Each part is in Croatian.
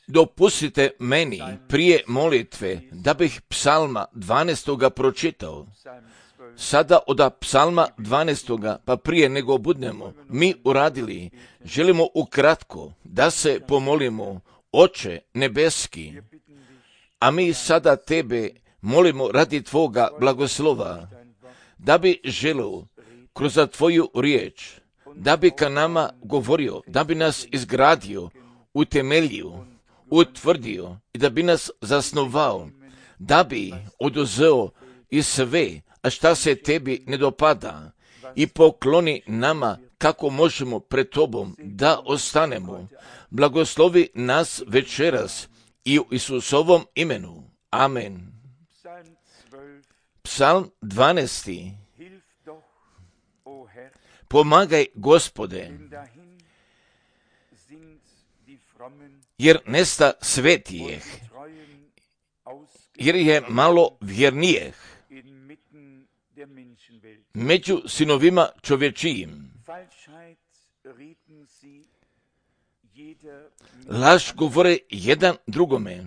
Dopustite meni prije molitve da bih psalma 12. pročitao. Sada od psalma 12. pa prije nego budemo mi uradili, želimo ukratko da se pomolimo, Oče nebeski, a mi sada tebe molimo radi tvoga blagoslova, da bi želio kroz tvoju riječ, da bi ka nama govorio, da bi nas izgradio, utemeljio, utvrdio i da bi nas zasnovao, da bi oduzeo i sve, a šta se tebi ne dopada, i pokloni nama kako možemo pred tobom da ostanemo. Blagoslovi nas večeras i u Isusovom imenu. Amen. Psalm 12. Pomagaj, Gospode, jer nesta svetijeh, jer je malo vjernijeh među sinovima čovječijim. Laž govore jedan drugome,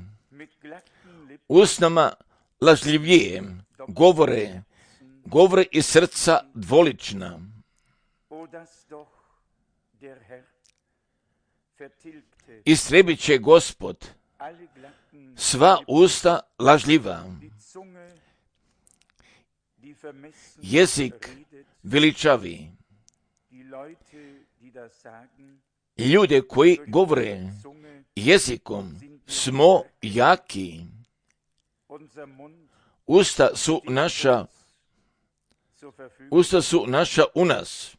usnama lažljivije govore iz srca dvolična. Istrebit će Gospod sva usta lažljiva, jezik veličavi. Ljude koji govore jezikom smo jaki. Usta su naša u nas.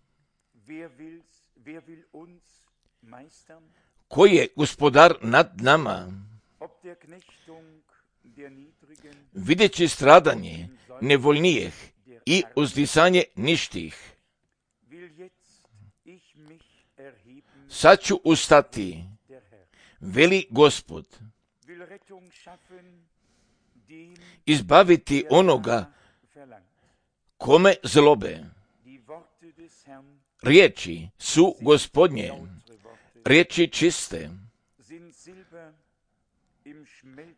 Koji je gospodar nad nama? Videći stradanje nevoljnijeh i uzdisanje ništih. Sad ću ustati, veli Gospod, izbaviti onoga kome zlobe. Riječi su Gospodnje, riječi čiste.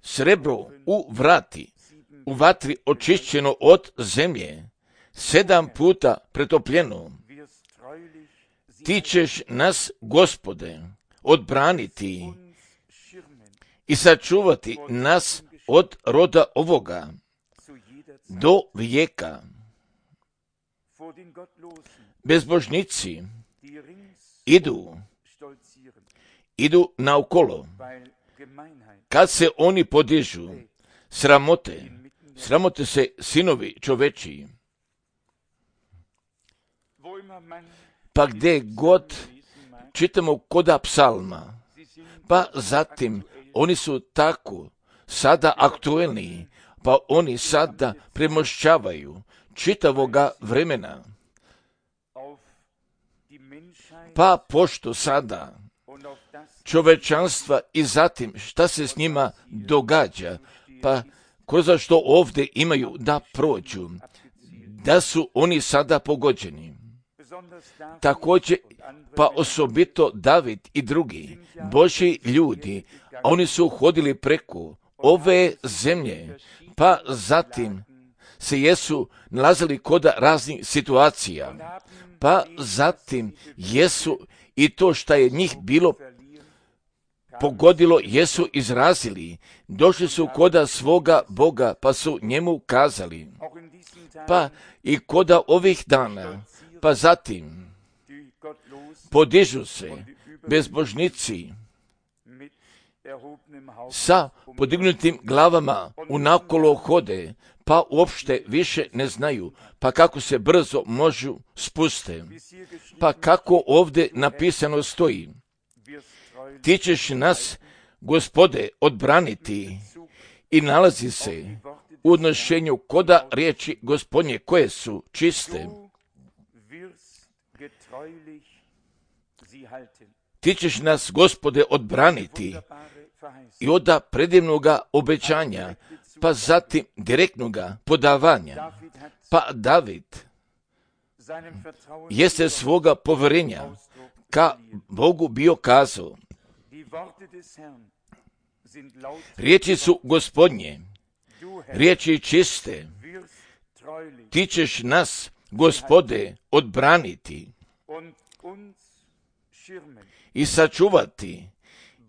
Srebro u vatri očišćeno od zemlje, 7 puta pretopljeno. Ti ćeš nas, Gospode, odbraniti i sačuvati nas od roda ovoga do vijeka. Bezbožnici idu naokolo. Kad se oni podižu, sramote se sinovi čovečiji. Pa gdje god čitamo koda psalma, pa zatim oni su tako sada aktuelni, pa oni sada premošćavaju čitavoga vremena. Pa pošto sada čovečanstva i zatim šta se s njima događa, pa kroz što ovdje imaju da prođu, da su oni sada pogođeni. Također, pa osobito David i drugi Božji ljudi, oni su hodili preko ove zemlje, pa zatim se jesu nalazili kod raznih situacija, pa zatim jesu i to što je njih bilo pogodilo, jesu izrazili, došli su koda svoga Boga, pa su njemu kazali, pa i koda ovih dana, pa zatim podižu se bezbožnici sa podignutim glavama unakolo hode, pa uopšte više ne znaju, pa kako se brzo možu spuste, pa kako ovdje napisano stoji, ti ćeš nas, Gospode, odbraniti, i nalazi se u odnošenju koda riječi Gospodnje koje su čiste. Ti ćeš nas, Gospode, odbraniti i od predivnoga obećanja, pa zatim direktnoga podavanja. Pa David jeste svoga povjerenja ka Bogu bio kazao, Riječi su Gospodnje, riječi čiste. Ti ćeš nas, Gospode, odbraniti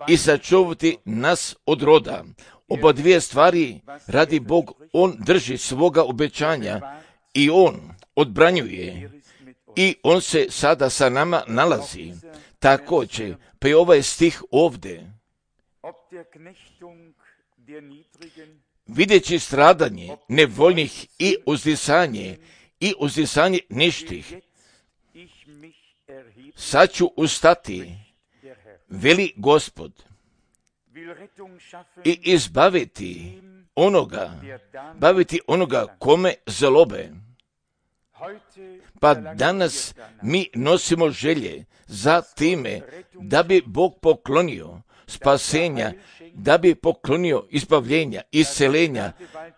i sačuvati nas od roda. Oba dvije stvari radi Bog, on drži svoga obećanja i on odbranjuje i on se sada sa nama nalazi. Također, pa je ovaj stih ovdje. Videći stradanje nevoljnih i uzdisanje ništih, sad ću ustati, veli Gospod, i izbaviti onoga kome zlobe. Pa danas mi nosimo želje za time da bi Bog poklonio spasenja, da bi poklonio izbavljenja, iscelenja,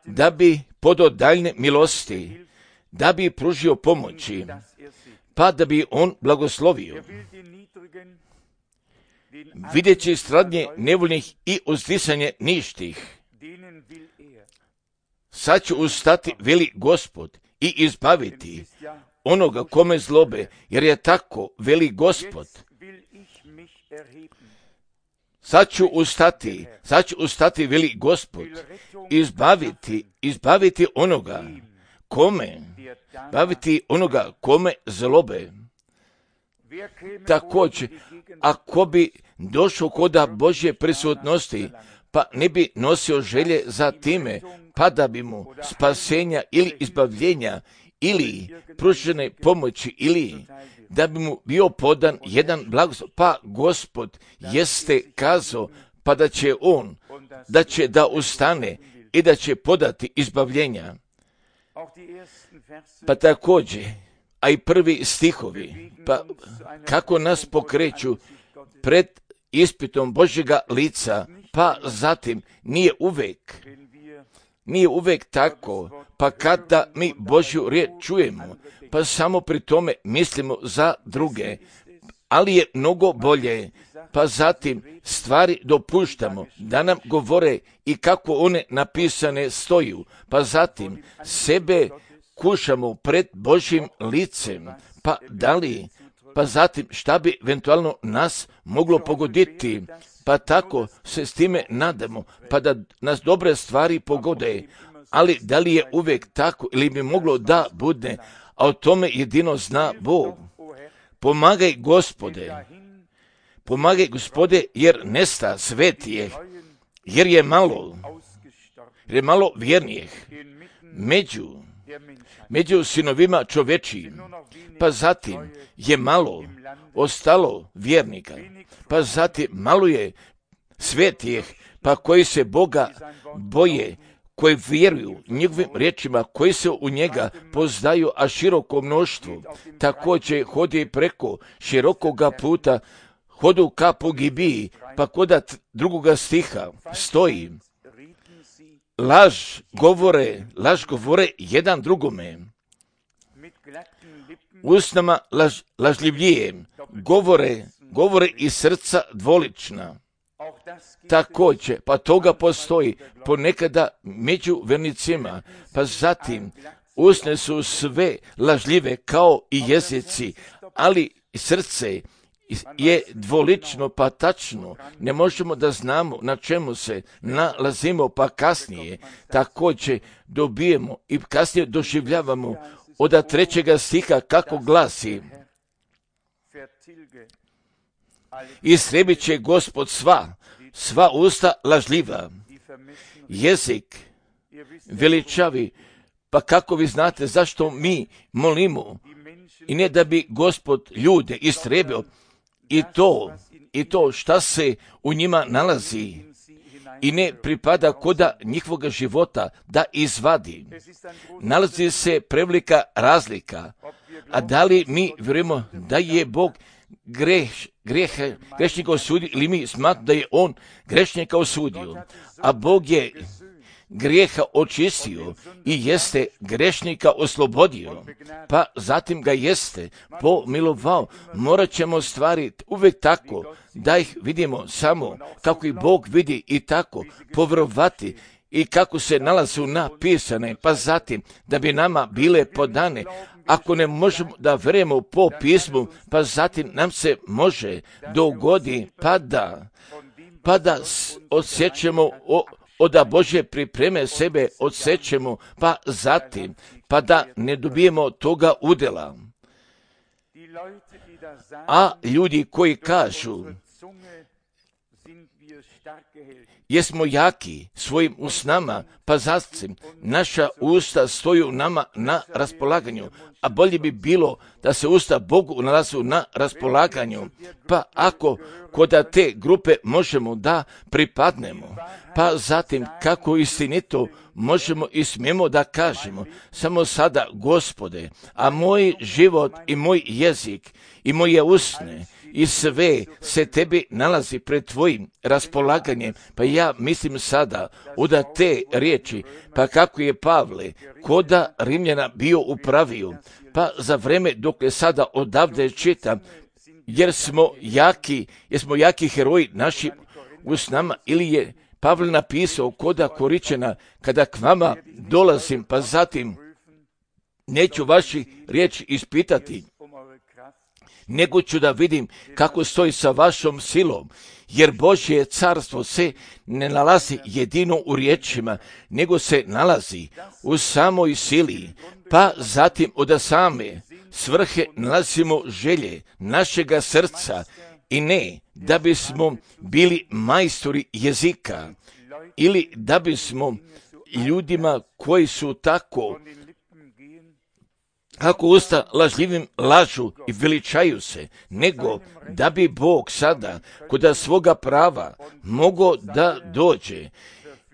da bi podao daljne milosti, da bi pružio pomoći, pa da bi on blagoslovio. Videći stradnje nevoljnih i uzdisanje ništih, sad ću ustati, veli Gospod, i izbaviti onoga kome zlobe, jer je tako, veli Gospod. Sad ću ustati, veli Gospod, izbaviti onoga kome zlobe. Također, ako bi došao koda Božje prisutnosti, pa ne bi nosio želje za time, pa da bi mu spasenja ili izbavljenja ili pružene pomoći ili da bi mu bio podan jedan blagoslov, pa Gospod jeste kazao, pa da će da ustane i da će podati izbavljenja. Pa također, a i prvi stihovi, pa kako nas pokreću pred ispitom Božjega lica, pa zatim nije uvijek tako, pa kada mi Božju riječ čujemo, pa samo pri tome mislimo za druge, ali je mnogo bolje, pa zatim stvari dopuštamo da nam govore i kako one napisane stoju, pa zatim sebe kušamo pred Božjim licem, pa zatim šta bi eventualno nas moglo pogoditi, pa tako se s time nadamo, pa da nas dobre stvari pogode, ali da li je uvijek tako ili bi moglo da bude, a o tome jedino zna Bog. Pomagaj Gospode, jer nesta svetijeh, jer je malo vjernijih među sinovima čovečijim, pa zatim je malo ostalo vjernika, pa zatim malo je svetijeh, pa koji se Boga boje, koji vjeruju njegovim riječima, koji se u njega poznaju, a široko mnoštvo također hodi preko širokoga puta, hodu ka pogibiji, pa koda drugoga stiha stoji, laž govore jedan drugome, usnama lažljivije, govore iz srca dvolična. Također, pa toga postoji ponekada među vernicima, pa zatim usne su sve lažljive kao i jezici, ali srce je dvolično, pa tačno, ne možemo da znamo na čemu se nalazimo, pa kasnije također dobijemo i kasnije doživljavamo od 3. stiha kako glasi: istrebit će Gospod sva usta lažljiva, jezik veličavi. Pa kako vi znate zašto mi molimo? I ne da bi Gospod ljude istrebio i to šta se u njima nalazi i ne pripada koda njihovoga života da izvadi. Nalazi se prevelika razlika. A da li mi vjerujemo da je Bog grešnika osudio ili mi smatramo da je on grešnika osudio? A Bog je grijeha očistio i jeste grešnika oslobodio, pa zatim ga jeste pomilovao. Morat ćemo stvari uvijek tako da ih vidimo samo kako ih Bog vidi i tako povjerovati i kako se nalazu napisane, pa zatim da bi nama bile podane. Ako ne možemo da vjerujemo po pismu, pa zatim nam se može dogodi pa da osjećamo od Božje pripreme sebe odsećemo, pa zatim pa da ne dobijemo toga udjela. A ljudi koji kažu jesmo jaki svojim usnama, pa zatim naša usta stoju nama na raspolaganju, a bolje bi bilo da se usta Bogu nalazu na raspolaganju. Pa ako kod te grupe možemo da pripadnemo, pa zatim kako istinito možemo i smijemo da kažemo, samo sada Gospode, a moj život i moj jezik i moje usne i sve se tebi nalazi pred tvojim raspolaganjem, pa ja mislim sada od te riječi, pa kako je Pavle koda Rimljana bio upravio, pa za vreme dok je sada odavde čitam, jer smo jaki heroji našim usnama, ili je Pavle napisao koda Koričana, kada k vama dolazim, pa zatim neću vaši riječi ispitati, nego ću da vidim kako stoji sa vašom silom, jer Božje carstvo se ne nalazi jedino u riječima, nego se nalazi u samoj sili, pa zatim od same svrhe nalazimo želje našega srca, i ne da bismo bili majstori jezika ili da bismo ljudima koji su tako kako usta lažljivim lažu i veličaju se, nego da bi Bog sada kod svoga prava mogao da dođe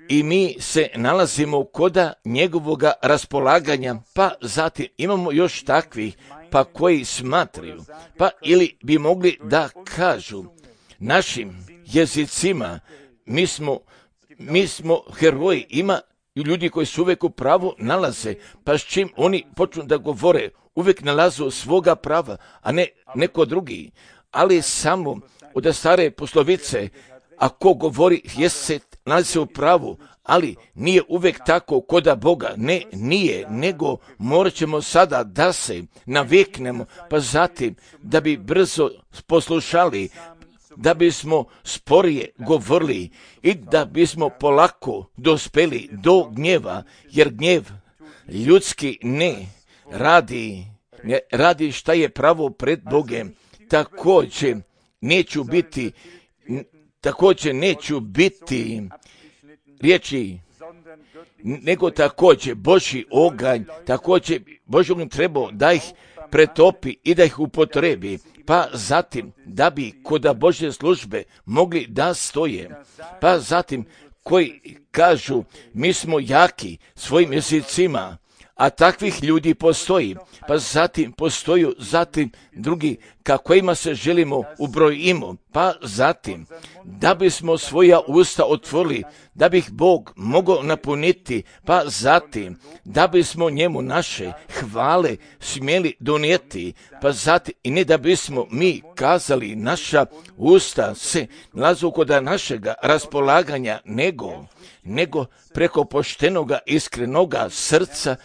i mi se nalazimo kod njegovoga raspolaganja, pa zatim imamo još takvih pa koji smatraju, pa ili bi mogli da kažu našim jezicima mi smo heroji, ima ljudi koji su uvijek u pravu nalaze, pa s čim oni počnu da govore, uvijek nalazu svoga prava, a ne neko drugi. Ali samo od stare poslovice, ako govori jeste nalazi se u pravu, ali nije uvijek tako koda Boga. Ne, nije, nego morat ćemo sada da se naviknemo, pa zatim da bi brzo poslušali, da bismo sporije govorili i da bismo polako dospeli do gnjeva, jer gnjev ljudski ne radi šta je pravo pred Bogem. Također neću biti riječi, nego također Božji oganj, također Božji oganj trebao da ih pretopi i da ih upotrebi, pa zatim da bi kod Božje službe mogli da stoje, pa zatim koji kažu mi smo jaki svojim jezicima, a takvih ljudi postoji, pa zatim postoju drugi kakvima se želimo ubrojimo, pa zatim da bismo svoja usta otvorili, da bi ih Bog mogao napuniti, pa zatim da bismo njemu naše hvale smjeli donijeti, pa zatim i ne da bismo mi kazali naša usta se nalazu kod našega raspolaganja, nego preko poštenoga iskrenoga srca,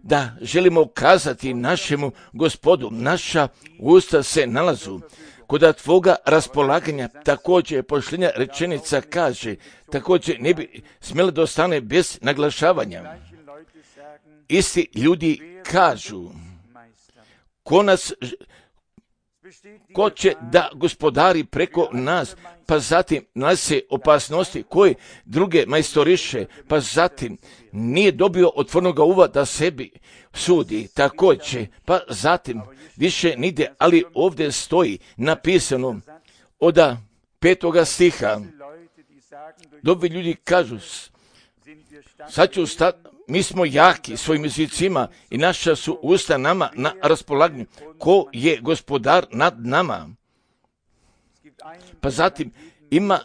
da želimo kazati našemu Gospodu, naša usta se nalazu kod tvoga raspolaganja. Također pošljenja rečenica kaže, također ne bi smjela da ostane bez naglašavanja. Isti ljudi kažu, ko će da gospodari preko nas, pa zatim nalazi se opasnosti koje druge majstoriše, pa zatim nije dobio otvornoga uva da sebi sudi, također, pa zatim više nide, ali ovdje stoji napisano od 5. stiha, dobri ljudi kažu, sad ću mi smo jaki svojim jezicima i naša su usta nama na raspolaganju. Ko je gospodar nad nama? Pa zatim ima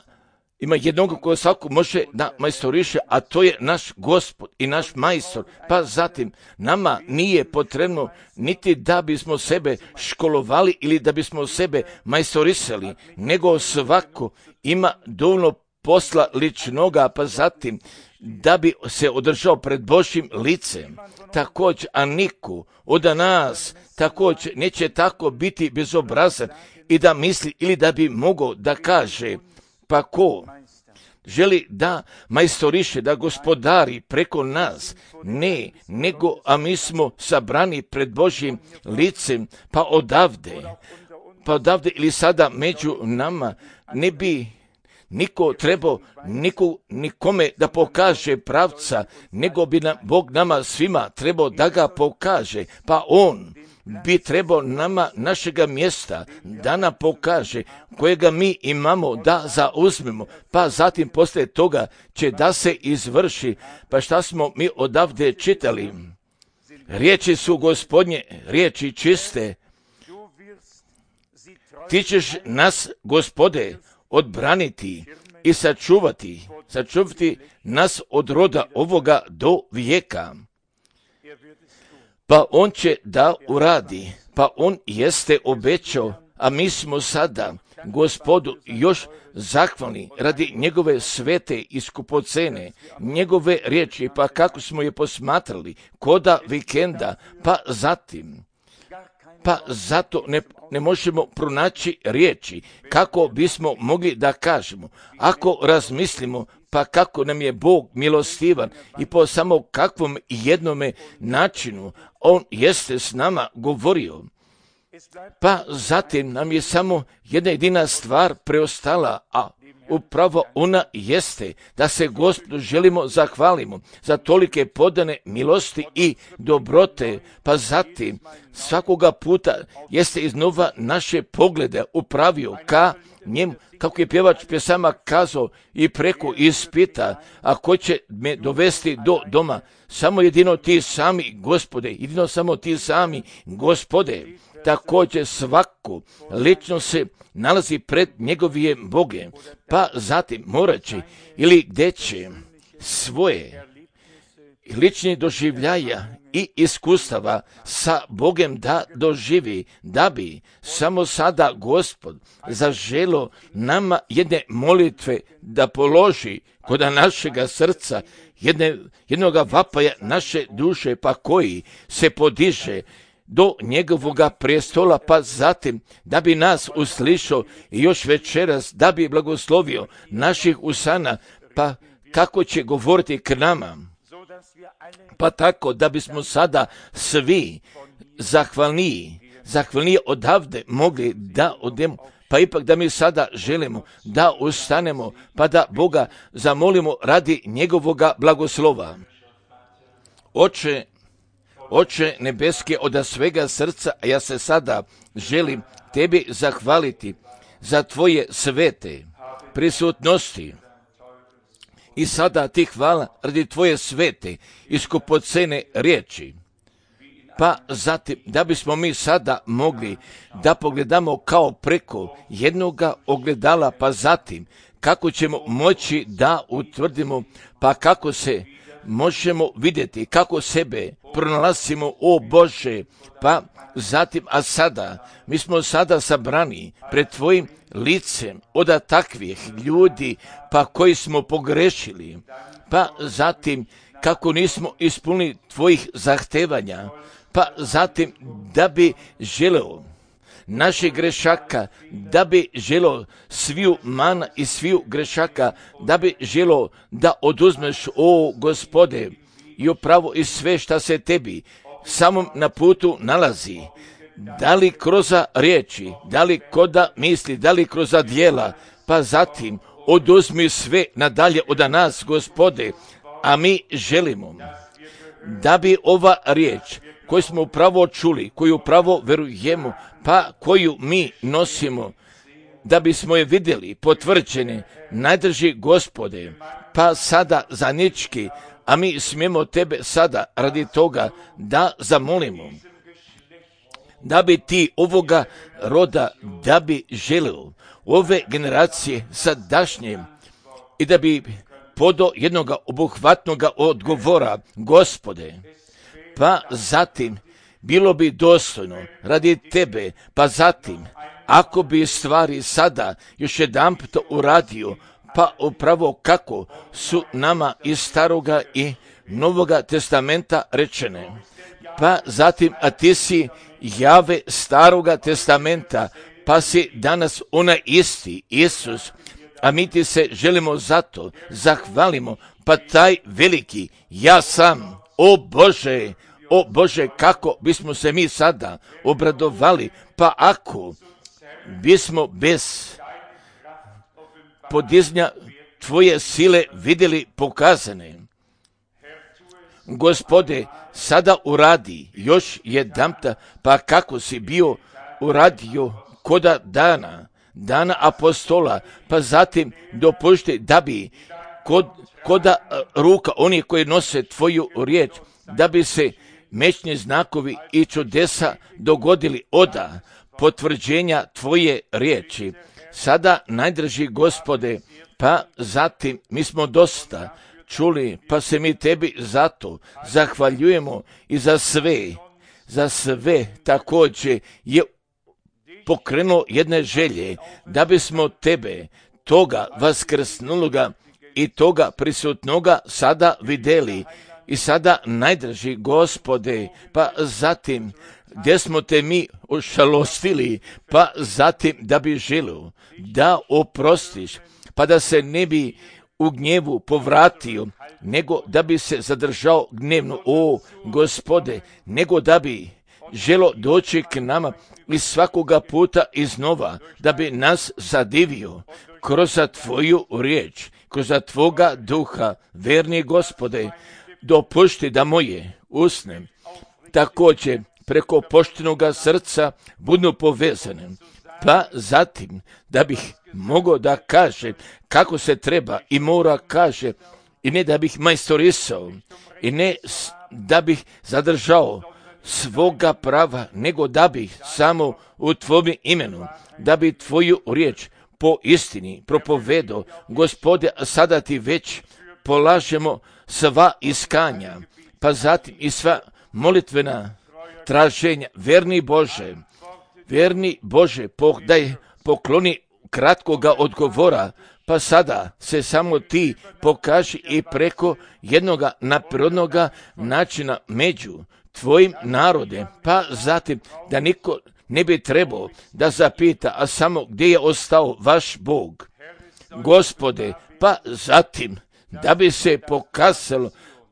Ima jednog koji svako može da majstoriše, a to je naš Gospod i naš majstor. Pa zatim, nama nije potrebno niti da bismo sebe školovali ili da bismo sebe majstorisali, nego svako ima dovoljno posla ličnoga, pa zatim da bi se održao pred Božjim licem. Također, a niko od nas također neće tako biti bezobrazan i da misli ili da bi mogao da kaže, pa ko želi da majstoriše, da gospodari preko nas, ne, nego, a mi smo sabrani pred Božjim licem, pa odavde ili sada među nama ne bi niko trebao nikome da pokaže pravca, nego bi Bog nama svima trebao da ga pokaže, pa on bi trebao nama našega mjesta da nam pokaže kojega mi imamo da zauzmemo, pa zatim poslije toga će da se izvrši. Pa šta smo mi odavde čitali? Riječi su Gospodnje, riječi čiste. Ti ćeš nas, Gospode, odbraniti i sačuvati nas od roda ovoga do vijeka. Pa on će da uradi, pa on jeste obećao, a mi smo sada Gospodu još zahvalni radi njegove svete i skupocene, njegove riječi, pa kako smo je posmatrali koda vikenda, pa zato ne možemo pronaći riječi kako bismo mogli da kažemo. Ako razmislimo, pa kako nam je Bog milostivan i po samo kakvom jednome načinu on jeste s nama govorio. Pa zatim nam je samo jedna jedina stvar preostala, a upravo ona jeste da se Gospodu želimo zahvalimo za tolike podane milosti i dobrote, pa zatim svakoga puta jeste iznova naše poglede upravio ka njemu, kako je pjevač pjesama kazao, i preko ispita, a ko će me dovesti do doma? Samo jedino ti sami, Gospode, jedino samo ti sami, Gospode. Također svako lično se nalazi pred njegovim Bogem, pa zatim morat će ili gdje će svoje lični doživljaja i iskustava sa Bogem da doživi, da bi samo sada Gospod zaželo nama jedne molitve da položi kod našega srca, jednoga vapaja naše duše, pa koji se podiže do njegovoga prestola, pa zatim da bi nas uslišao i još večeras da bi blagoslovio naših usana, pa kako će govoriti k nama. Pa tako da bismo sada svi zahvalniji odavde mogli da odemo, pa ipak da mi sada želimo da ustanemo, pa da Boga zamolimo radi njegovoga blagoslova. Oče nebeski, od svega srca, ja se sada želim tebi zahvaliti za tvoje svete prisutnosti. I sada ti hvala radi tvoje svete i skupocene riječi. Pa zatim, da bismo mi sada mogli da pogledamo kao preko jednoga ogledala, pa zatim kako ćemo moći da utvrdimo, pa kako se možemo vidjeti, kako sebe pronalazimo, o Bože, pa zatim, a sada, mi smo sada sabrani pred tvojim licem od takvih ljudi, pa koji smo pogrešili, pa zatim, kako nismo ispunili tvojih zahtevanja, pa zatim, da bi želeo naših grešaka, da bi želeo sviju mana i sviju grešaka, da bi želeo da oduzmeš, o Gospode, i upravo i sve šta se tebi samom na putu nalazi, da li kroz riječi, da li koda misli, da li kroz djela, pa zatim oduzmi sve nadalje od nas, Gospode, a mi želimo da bi ova riječ koju smo upravo čuli, koju upravo verujemo, pa koju mi nosimo, da bismo je vidjeli potvrđene, najdrži Gospode, pa sada zanički, a mi smijemo tebe sada radi toga da zamolimo, da bi ti ovoga roda, da bi želio ove generacije sadašnje i da bi podao jednoga obuhvatnog odgovora, Gospode, pa zatim bilo bi dostojno radi tebe, pa zatim ako bi stvari sada još jedanput uradio, pa upravo kako su nama iz Staroga i Novoga testamenta rečene. Pa zatim, a ti si Jahve Staroga testamenta, pa si danas onaj isti Isus, a mi ti se želimo zato zahvalimo, pa taj veliki ja sam, o Bože, kako bismo se mi sada obradovali, pa ako bismo bez podizanja tvoje sile vidjeli pokazane. Gospode, sada uradi još jedanputa, pa kako si bio uradio koda dana apostola, pa zatim dopušti da bi koda ruka onih koji nose tvoju riječ, da bi se mečni znakovi i čudesa dogodili oda potvrđenja tvoje riječi. Sada, najdraži Gospode, pa zatim mi smo dosta čuli, pa se mi tebi zato zahvaljujemo i za sve također je pokrenuo jedne želje, da bismo tebe, toga vaskrsnuloga i toga prisutnoga sada vidjeli. I sada, najdraži Gospode, pa zatim gdje smo te mi ošalostili, pa zatim da bi želio da oprostiš, pa da se ne bi u gnjevu povratio, nego da bi se zadržao gnevno, o Gospode, nego da bi želo doći k nama i svakoga puta iznova, da bi nas zadivio kroz tvoju riječ, kroz tvoga duha, verni Gospode, dopušti da moje usne također preko poštenoga srca budu povezane, pa zatim da bih mogao da kaže kako se treba i mora kaže, i ne da bih majstorisao, i ne da bih zadržao svoga prava, nego da bih samo u tvome imenu, da bi tvoju riječ po istini propovedao. Gospode, sada ti već polažemo sva iskanja, pa zatim i sva molitvena traženja. Verni Bože, daj pokloni kratkoga odgovora, pa sada se samo ti pokaži i preko jednoga naprednoga načina među tvojim narode, pa zatim da niko ne bi trebao da zapita, a samo gdje je ostao vaš Bog. Gospode, pa zatim da bi se pokazalo,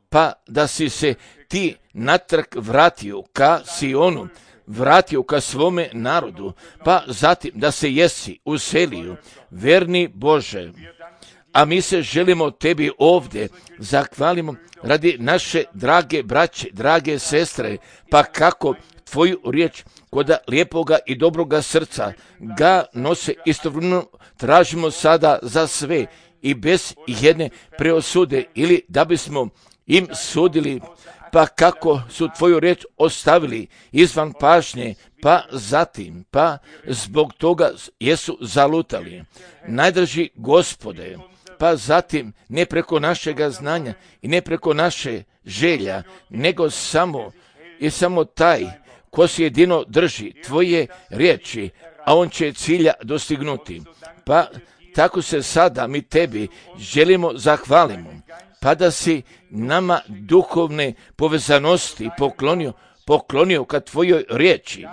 pa da si se ti natrag vratio ka Sionu, vratio ka svome narodu, pa zatim da se jesi uselio, verni Bože. A mi se želimo tebi ovdje zahvalimo radi naše drage braće, drage sestre, pa kako tvoju riječ kod lijepoga i dobroga srca ga nose istovremeno tražimo sada za sve i bez jedne preosude ili da bismo im sudili, pa kako su tvoju riječ ostavili izvan pažnje, pa zatim, pa zbog toga jesu zalutali. Najdraži Gospode, pa zatim ne preko našega znanja i ne preko naše želja, nego samo taj ko se jedino drži tvoje riječi, a on će cilja dostignuti. Pa tako se sada mi tebi želimo zahvalimo, pa da si nama duhovne povezanosti poklonio ka tvojoj riječi.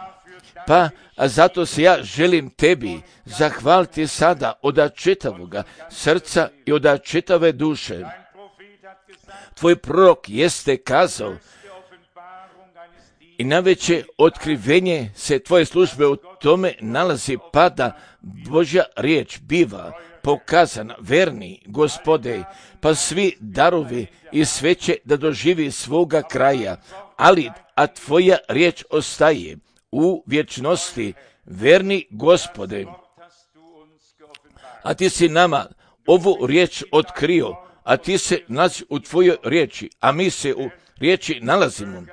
Pa a zato se ja želim tebi zahvaliti sada od čitavoga srca i od čitave duše. Tvoj prorok jeste kazao i najveće otkrivenje se tvoje službe u tome nalazi, pa da Božja riječ biva pokazana, verni Gospode, pa svi darovi i sve će da doživi svoga kraja, a tvoja riječ ostaje u vječnosti, verni Gospode. A ti si nama ovu riječ otkrio, a ti se nalazi u tvojoj riječi, a mi se u riječi nalazimo.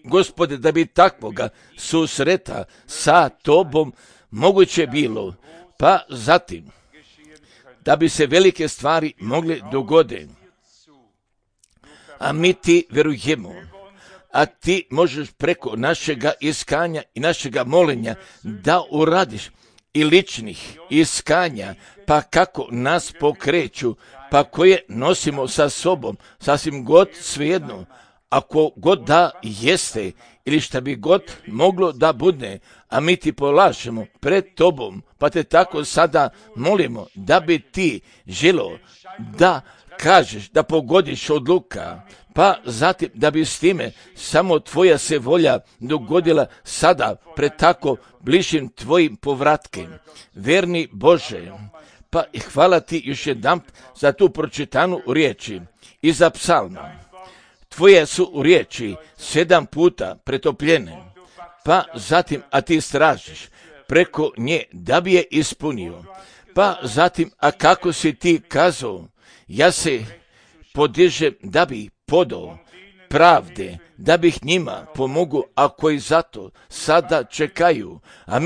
Gospode, da bi takvoga susreta sa tobom moguće bilo, pa zatim da bi se velike stvari mogle dogoditi. A mi ti verujemo, a ti možeš preko našega iskanja i našega molenja da uradiš i ličnih iskanja, pa kako nas pokreću, pa koje nosimo sa sobom, sasvim god svejedno, ako god da jeste ili šta bi god moglo da bude, a mi ti polažemo pred tobom, pa te tako sada molimo da bi ti želo da kažeš, da pogodiš odluka, pa zatim da bi s time samo tvoja se volja dogodila sada pred tako bližim tvojim povratkem. Verni Bože, pa hvala ti još jednom za tu pročitanu riječi i za psalma. Tvoje su riječi 7 puta pretopljene, pa zatim, a ti stražiš preko nje da bi je ispunio, pa zatim, a kako si ti kazao, ja se podižem da bi podao pravde, da bih njima pomogu, a koji zato sada čekaju, a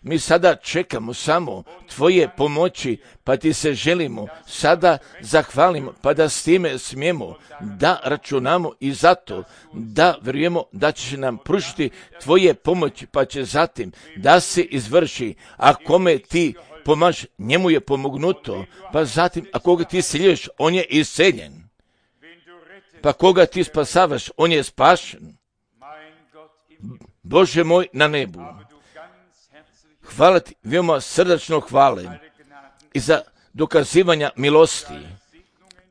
mi sada čekamo samo tvoje pomoći, pa ti se želimo sada zahvalimo, pa da s time smijemo da računamo i zato da vjerujemo da će nam pružiti tvoje pomoći, pa će zatim da se izvrši, a kome ti pomaž, njemu je pomognuto, pa zatim, a koga ti siljuješ, on je isceljen. Pa koga ti spasavaš, on je spašen. Bože moj na nebu, hvala ti, veoma srdačno hvale i za dokazivanja milosti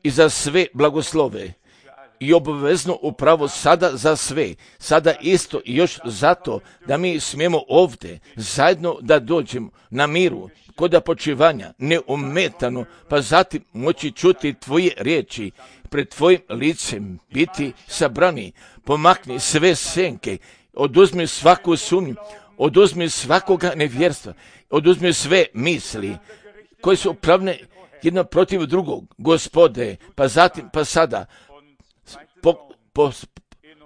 i za sve blagoslove i obavezno upravo sada za sve, sada isto i još zato da mi smijemo ovdje zajedno da dođemo na miru, kod počivanja, neometano, pa zatim moći čuti tvoje riječi, pred tvojim licem biti sabrani, pomakni sve senke, oduzmi svaku sumnju, oduzmi svakoga nevjerstva, oduzmi sve misli koje su pravne jedno protiv drugog, Gospode, pa zatim, pa sada,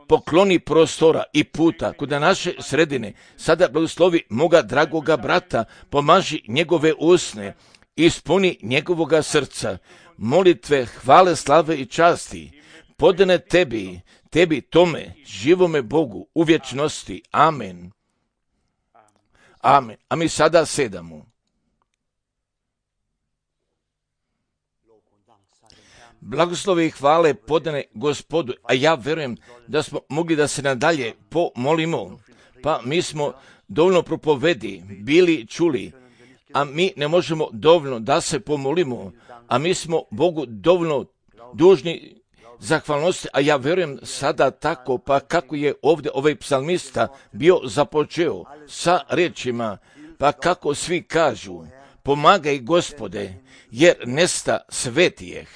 pokloni prostora i puta kod naše sredine, sada blagoslovi moga dragoga brata, pomaži njegove usne, ispuni njegovoga srca, molitve, hvale, slave i časti, podane tebi tome, živome Bogu, u vječnosti. Amen. Amen. A mi sada sedamo. Blagoslovi i hvale podane Gospodu, a ja vjerujem da smo mogli da se nadalje pomolimo, pa mi smo dovoljno propovedi bili čuli, a mi ne možemo dovoljno da se pomolimo, a mi smo Bogu dovoljno dužni zahvalnosti, a ja vjerujem sada tako, pa kako je ovdje ovaj psalmista bio započeo sa riječima, pa kako svi kažu, pomagaj Gospode, jer nesta svetijeh.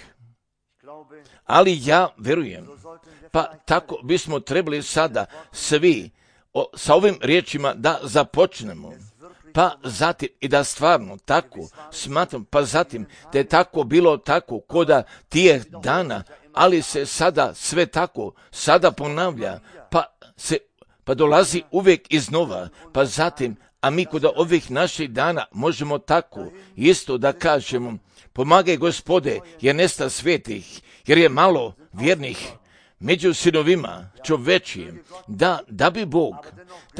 Ali ja vjerujem, pa tako bismo trebali sada svi sa ovim riječima da započnemo, pa zatim i da stvarno tako smatram, pa zatim da je tako bilo tako koda tijeh dana, ali se sada sve tako sada ponavlja, pa dolazi uvijek iznova, pa zatim, a mi kod ovih naših dana možemo tako isto da kažemo, pomagaj Gospode, jer nesta svetih, jer je malo vjernih među sinovima čovečijim, da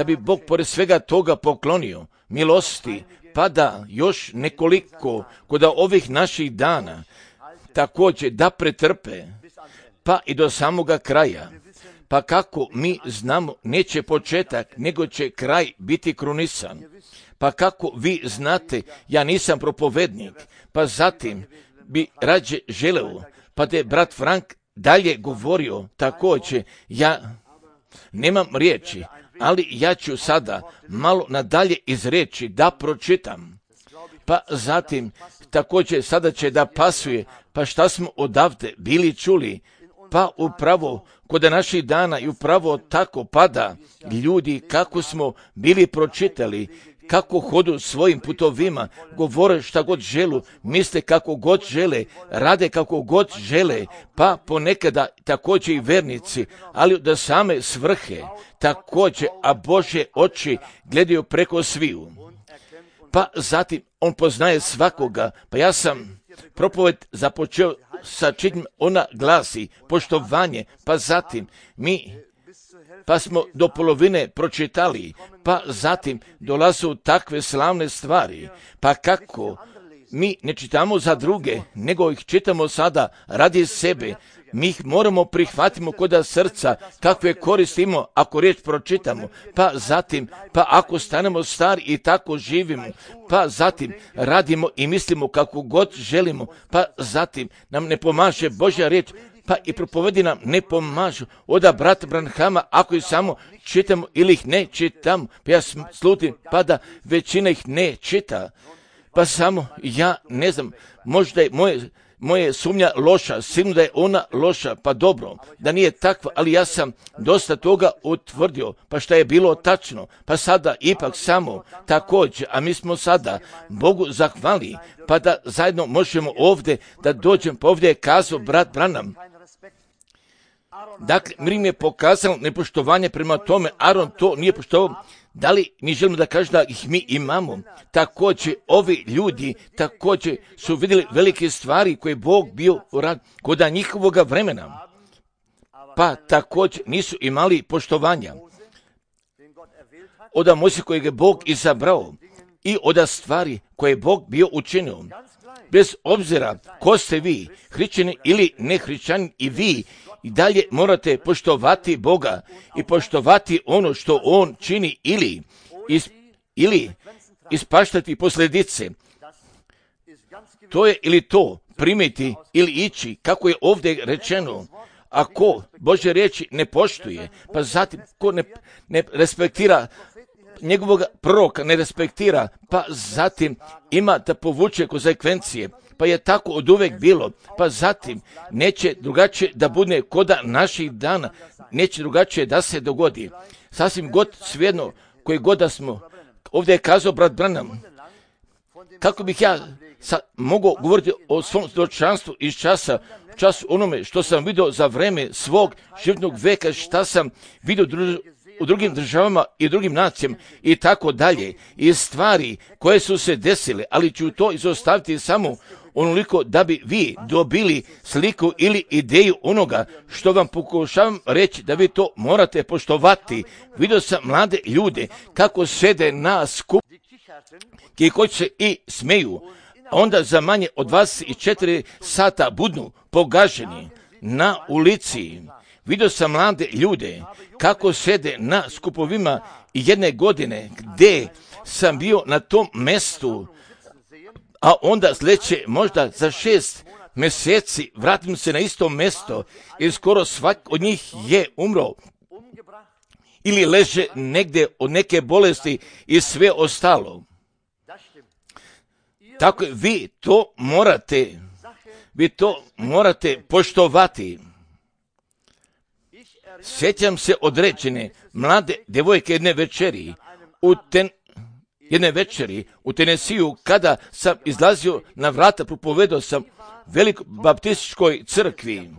bi Bog pored svega toga poklonio milosti, pa da još nekoliko kod ovih naših dana također da pretrpe, pa i do samoga kraja. Pa kako mi znamo, neće početak, nego će kraj biti krunisan. Pa kako vi znate, ja nisam propovednik, pa zatim bi rađe želeo, pa da je brat Frank dalje govorio također, ja nemam riječi, ali ja ću sada malo nadalje izreći da pročitam. Pa zatim također sada će da pasuje, pa šta smo odavde bili čuli, pa upravo kod naših dana i upravo tako pada ljudi kako smo bili pročitali, kako hodu svojim putovima, govore šta god želu, misle kako god žele, rade kako god žele, pa ponekada također i vernici, ali da same svrhe također, a Božje oči gledaju preko sviju. pa zatim on poznaje svakoga. Pa ja sam propoved započeo sa čitnjom, ona glasi poštovanje, pa zatim pa smo do polovine pročitali, pa zatim dolazu takve slavne stvari, pa kako mi ne čitamo za druge, nego ih čitamo sada radi sebe. Mi ih moramo prihvatimo kod srca, kakve koristimo ako riječ pročitamo, pa zatim, pa ako stanemo stari i tako živimo, pa zatim radimo i mislimo kako god želimo, pa zatim nam ne pomaže Božja riječ, pa i propovedi nam ne pomažu. Oda brata Branhama, ako ih samo čitamo ili ih ne čitamo, pa ja slutim, pa da većina ih ne čita, pa samo ja ne znam, možda je moje sumnja loša, sigurno da je ona loša, pa dobro, da nije takva, ali ja sam dosta toga utvrdio, pa šta je bilo tačno, pa sada ipak samo također, a mi smo sada Bogu zahvali, pa da zajedno možemo ovdje, da dođem, pa ovdje je kazao brat Branham. Dakle, Miriam je pokazao nepoštovanje prema tome, Aron to nije poštovao. Da li mi želimo da kažemo da ih mi imamo? Također, ovi ljudi također su vidjeli velike stvari koje je Bog bio urad kod njihovoga vremena, pa također nisu imali poštovanja od Mojsija kojeg je Bog izabrao i od stvari koje je Bog bio učinio. Bez obzira ko ste vi, hrišćani ili ne hrišćani, i vi i dalje morate poštovati Boga i poštovati ono što On čini ili ispaštati posljedice. To je ili to primiti ili ići, kako je ovdje rečeno. Ako Božje riječi ne poštuje, pa zatim ko ne respektira njegovog proroka, ne respektira, pa zatim ima da povuče konsekvencije. Pa je tako od uvek bilo, pa zatim neće drugačije da bude koda naših dana, neće drugačije da se dogodi. Sasvim god svejedno, koji god da smo, ovdje je kazao brat Branham, kako bih ja mogao govoriti o svom svjedočanstvu iz času onome što sam vidio za vreme svog životnog veka, šta sam vidio u drugim državama i drugim nacijama i tako dalje, i stvari koje su se desile, ali ću to izostaviti samo onoliko da bi vi dobili sliku ili ideju onoga što vam pokušavam reći, da vi to morate poštovati. Vidio sam mlade ljude kako sede na skup i koji se i smeju, onda za manje od 24 sata budnu pogaženi na ulici. Vidio sam mlade ljude kako sede na skupovima jedne godine gdje sam bio na tom mjestu, a onda sljedeće možda za 6 mjeseci vratim se na isto mjesto i skoro svak od njih je umro ili leže negdje od neke bolesti i sve ostalo. Tako vi to morate poštovati. Sjećam se određene mlade djevojke jedne večeri u Tenesiju, kada sam izlazio na vrata, propovedao sam velikoj baptističkoj crkvi,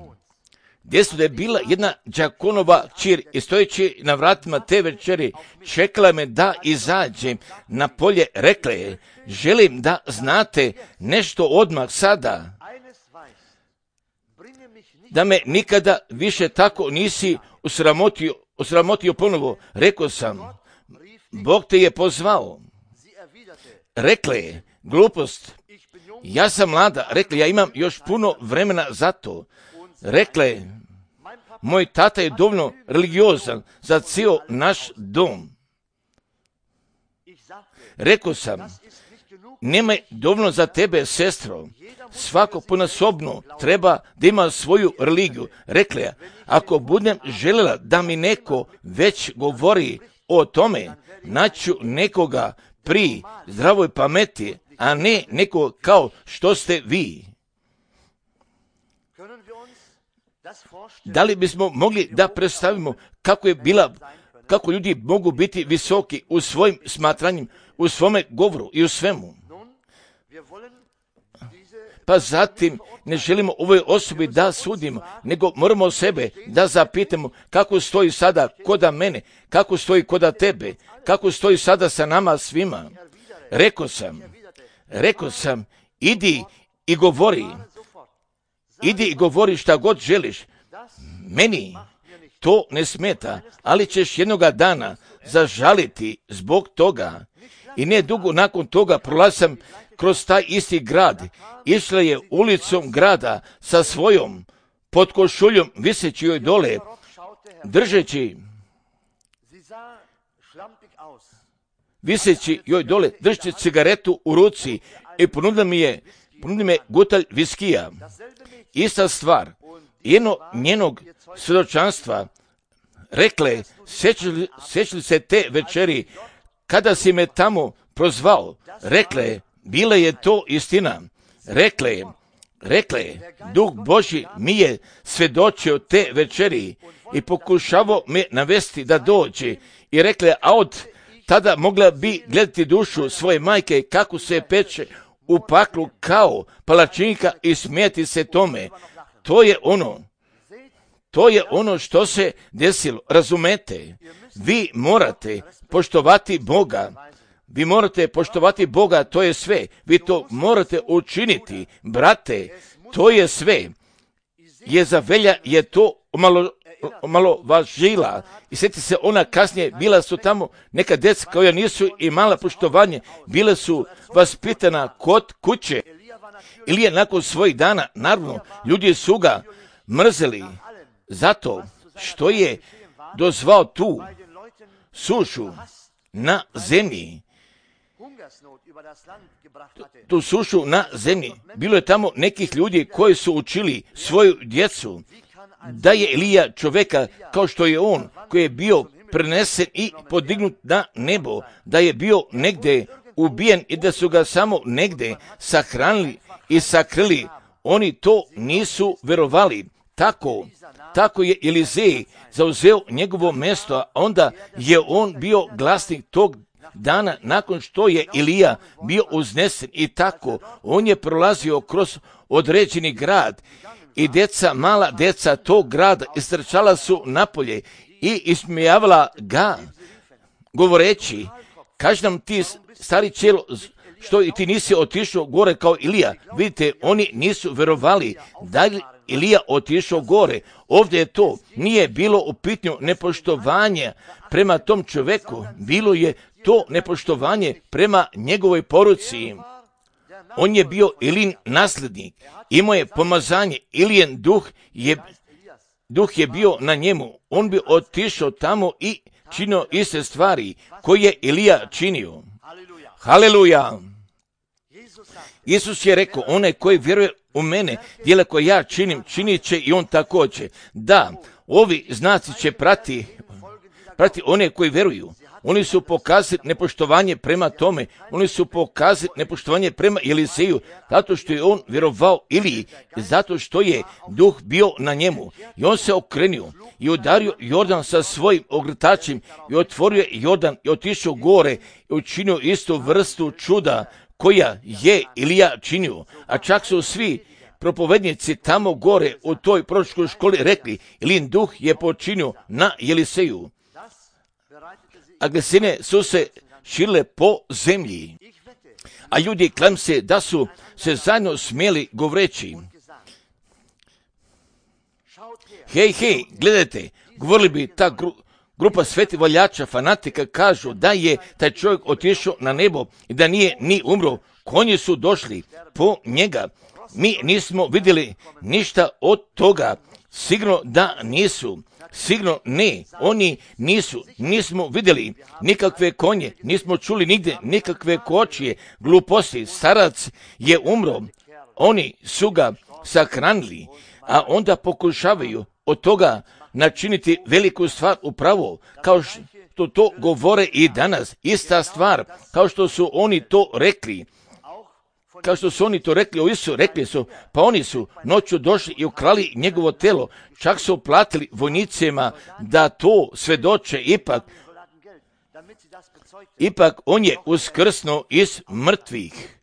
gdje su da je bila jedna đakonova kćer i stojeći na vratima te večeri čekala me da izađem na polje. Rekla je, želim da znate nešto odmah sada, da me nikada više tako nisi osramotio ponovo. Rekao sam, Bog te je pozvao. Rekla je, glupost, ja sam mlada. Rekla, ja imam još puno vremena za to. Rekla je, moj tata je dovoljno religiozan za cijel naš dom. Rekao sam, nema dovoljno za tebe, sestro. Svako ponasobno treba da ima svoju religiju. Rekla je, ako budem željela da mi neko već govori o tome, naću nekoga pri zdravoj pameti, a ne neko kao što ste vi. Da li bismo mogli da predstavimo kako ljudi mogu biti visoki u svojim smatranjima, u svome govoru i u svemu? Pa zatim ne želimo ovoj osobi da sudimo, nego moramo sebe da zapitamo kako stoji sada koda mene, kako stoji koda tebe, kako stoji sada sa nama svima. Rekao sam, idi i govori šta god želiš. Meni to ne smeta, ali ćeš jednoga dana zažaliti zbog toga. I ne dugo nakon toga prolazim kroz taj isti grad. Išla je ulicom grada sa svojom potkošuljom viseći joj dole, držeći cigaretu u ruci i ponudila mi gutalj viskija. Ista stvar, jedno njenog svjedočanstva, rekle, sjećali se te večeri kada si me tamo prozvao, rekle, bila je to istina. Rekle, Duh Božji mi je svjedočio te večeri i pokušavao me navesti da dođe. I rekle, a od tada mogla bi gledati dušu svoje majke kako se peče u paklu kao palačinka i smijeti se tome. To je ono što se desilo. Razumete? Vi morate poštovati Boga, to je sve. Vi to morate učiniti, brate, to je sve. Jezavelja je to omalovažila. I sjeti se, ona kasnije, bila su tamo neka djeca koja nisu imala poštovanje, bila su vaspitana kod kuće. Ili je nakon svojih dana, naravno, ljudi su ga mrzeli zato što je dozvao tu sušu na zemlji. Tu sušu na zemlji. Bilo je tamo nekih ljudi koji su učili svoju djecu da je Elija čovjeka kao što je on, koji je bio prenesen i podignut na nebo, da je bio negdje ubijen i da su ga samo negdje sahranili i sakrili. Oni to nisu vjerovali. Tako je Elizej zauzeo njegovo mjesto, a onda je on bio glasnik tog dana nakon što je Elija bio uznesen i tako. On je prolazio kroz određeni grad i mala djeca tog grada istrčala su napolje i ismijavala ga, govoreći, kaži nam ti stari čelo, što i ti nisi otišao gore kao Elija. Vidite, oni nisu vjerovali da je Elija otišao gore. Ovdje je to, nije bilo u pitanju nepoštovanje prema tom čovjeku, bilo je to nepoštovanje prema njegovoj poruci. On je bio Elin nasljednik, imao je pomazanje, Elijen duh je bio na njemu. On bi otišao tamo i činio iste stvari koje je Elija činio. Haleluja! Isus je rekao, onaj koji vjeruje u mene, djela koje ja činim, činit će i on također. Da, ovi znaci će prati one koji vjeruju. Oni su pokazali nepoštovanje prema tome, oni su pokazali nepoštovanje prema Eliseju, zato što je on vjerovao Eliji, zato što je duh bio na njemu. I on se okrenio i udario Jordan sa svojim ogrtačem i otvorio Jordan i otišao gore i učinio istu vrstu čuda koja je Elija činio. A čak su svi propovednici tamo gore u toj proročkoj školi rekli,Elijin duh je počinio na Eliseju. A glasine su se širile po zemlji. A ljudi klam se da su se zajedno smjeli govoreći. Hej, gledajte, govorili bi ta grupa svetih voljača, fanatika, kažu da je taj čovjek otišao na nebo i da nije ni umro. Konji su došli po njega. Mi nismo vidjeli ništa od toga. Sigurno da nisu. Sigurno ne, oni nismo vidjeli nikakve konje, nismo čuli nigdje nikakve kočije, gluposti, starac je umro, oni su ga sahranili, a onda pokušavaju od toga načiniti veliku stvar upravo, kao što to govore i danas, ista stvar, kao što su oni to rekli. Kao što su oni to rekli o Isusu, rekli su, pa oni su noću došli i ukrali njegovo telo, čak su platili vojnicima da to svjedoče, ipak on je uskrsnuo iz mrtvih.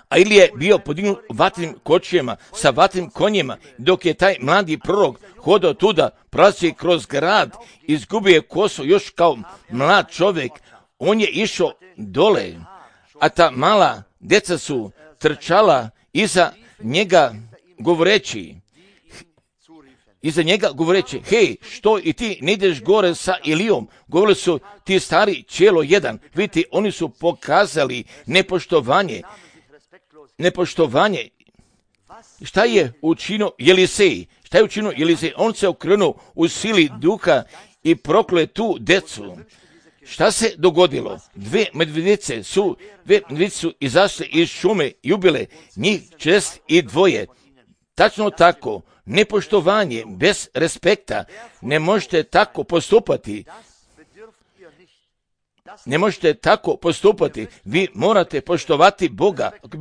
A ili je bio podignut vatrenim kočijama sa vatrenim konjima, dok je taj mladi prorok hodao tuda, prolazi kroz grad, izgubio je kosu još kao mlad čovjek, on je išao dole, a ta mala djeca su trčala iza njega govoreći, hej, što i ti ne ideš gore sa Elijom? Govorili su, ti stari čelo jedan. Vidite, oni su pokazali nepoštovanje. Šta je učinio Elisej? On se okrenuo u sili duha i prokleo tu decu. Šta se dogodilo? Dve medvjedice su izašle iz šume i ubile njih 42. Tačno tako, nepoštovanje, bez respekta, ne možete tako postupati. Vi morate poštovati Boga. Ako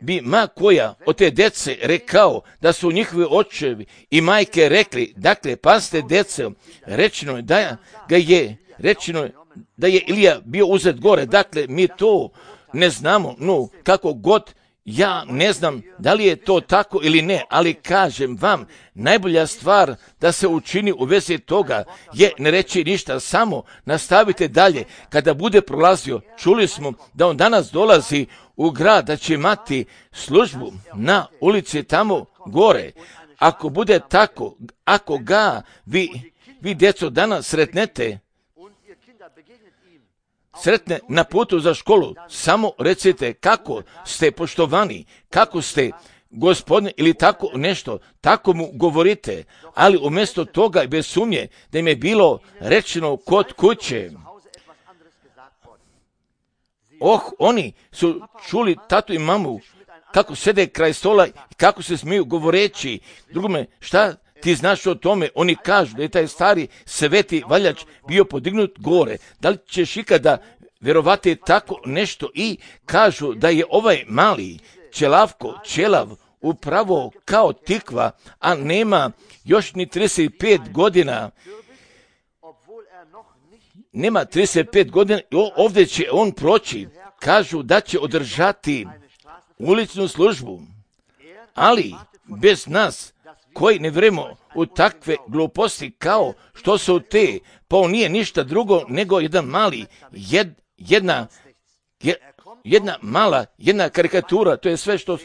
bi ma koja od te djece rekao da su njihovi očevi i majke rekli, dakle, pazite djece, rečeno je da je Ilija bio uzet gore, dakle, mi to ne znamo, no, kako god, ja ne znam da li je to tako ili ne, ali kažem vam, najbolja stvar da se učini u vezi toga je ne reći ništa, samo nastavite dalje. Kada bude prolazio, čuli smo da on danas dolazi u grad, da će imati službu na ulici tamo gore. Ako bude tako, ako ga vi djeco danas sretne na putu za školu, samo recite kako ste poštovani, kako ste Gospodine ili tako nešto, tako mu govorite, ali umjesto toga i bez sumnje da im je bilo rečeno kod kuće. Oni su čuli tatu i mamu kako sede kraj stola i kako se smiju govoreći. Drugome, šta ti znaš o tome? Oni kažu da je taj stari sveti valjač bio podignut gore. Da li ćeš ikada vjerovati tako nešto? I kažu da je ovaj mali čelav upravo kao tikva, a nema još ni 35 godina. Nema 35 godina i ovdje će on proći. Kažu da će održati uličnu službu, ali bez nas koji ne vjerujemo u takve gluposti kao što su te, pa on nije ništa drugo nego jedan mali, jedna karikatura, to je sve što,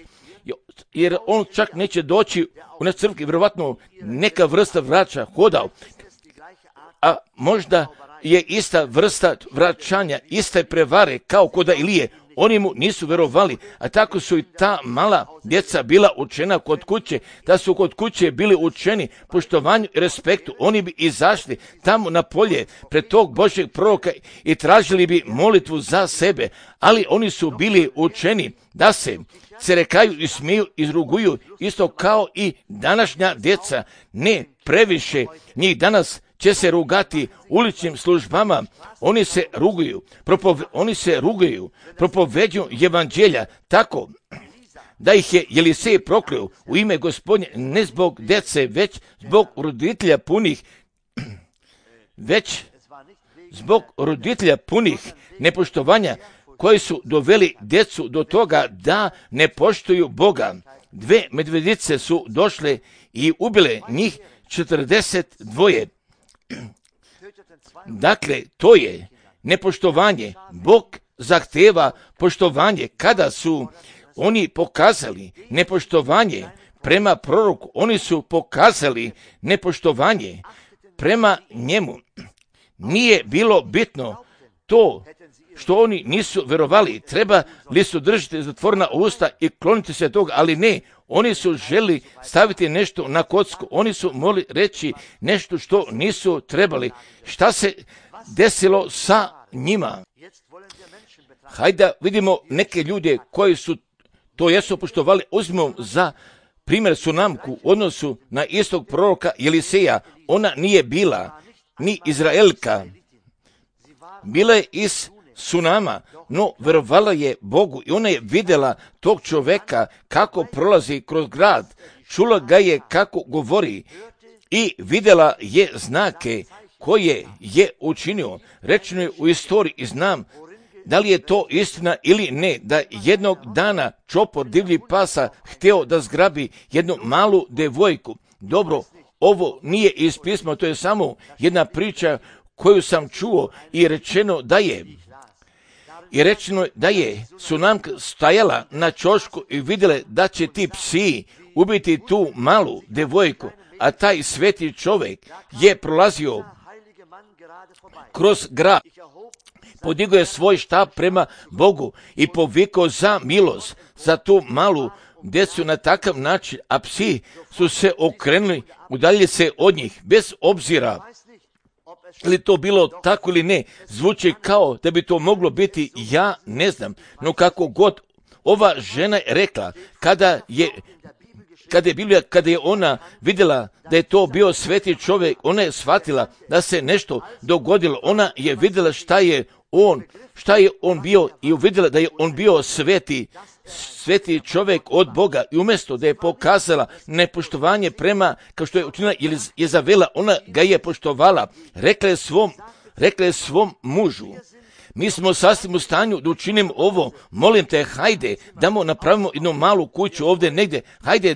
jer on čak neće doći u naš crkvi, vjerovatno neka vrsta vraća hodao, a možda je ista vrsta vraćanja, iste prevare kao kod Ilije. Oni mu nisu vjerovali, a tako su i ta mala djeca bila učena kod kuće, da su kod kuće bili učeni poštovanju i respektu. Oni bi izašli tamo na polje pred tog Božjeg proroka i tražili bi molitvu za sebe, ali oni su bili učeni da se cerekaju i smiju, izruguju, isto kao i današnja djeca. Ne previše, njih danas će se rugati uličnim službama, oni se rugaju, propoveđuju evanđelja tako da ih je Elisej prokleo u ime Gospodnje, ne zbog djece, već zbog roditelja punih nepoštovanja koji su doveli djecu do toga da ne poštuju Boga. Dve medvjedice su došle i ubile njih 42. Dakle, to je nepoštovanje. Bog zahteva poštovanje. Kada su oni pokazali nepoštovanje prema proroku, oni su pokazali nepoštovanje prema njemu. Nije bilo bitno to što oni nisu vjerovali, trebali su držati zatvorena usta i kloniti se toga, ali ne, oni su želi staviti nešto na kocku, oni su mogli reći nešto što nisu trebali. Šta se desilo sa njima? Hajde vidimo neke ljude koji su to jesu poštovali. Uzmimo za primjer Sunamku u odnosu na istog proroka Eliseja. Ona nije bila ni Izraelka, bila je iz Sunama, no vjerovala je Bogu i ona je vidjela tog čovjeka kako prolazi kroz grad, čula ga je kako govori i vidjela je znake koje je učinio. Rečeno je u istoriji i znam da li je to istina ili ne, da jednog dana čopor divljih pasa htio da zgrabi jednu malu devojku. Dobro, ovo nije iz pisma, to je samo jedna priča koju sam čuo i rečeno da je I rečeno je da je tsunamka stajala na ćošku i vidjela da će ti psi ubiti tu malu devojku, a taj sveti čovjek je prolazio kroz grad. Podigao je svoj štap prema Bogu i povikao za milost za tu malu djecu na takav način, a psi su se okrenuli, udaljili se od njih, bez obzira ili to bilo tako ili ne. Zvuči kao da bi to moglo biti, ja ne znam, no kako god, ova žena je rekla, kada je ona vidjela da je to bio sveti čovjek, ona je shvatila da se nešto dogodilo. Ona je vidjela šta je on bio i uvidjela da je on bio sveti čovjek od Boga, i umjesto da je pokazala nepoštovanje prema, kao što je učinila Jezabela, ona ga je poštovala. Rekla je svom mužu, mi smo sasvim u stanju da učinimo ovo, molim te, hajde, damo, napravimo jednu malu kuću ovdje negdje, hajde,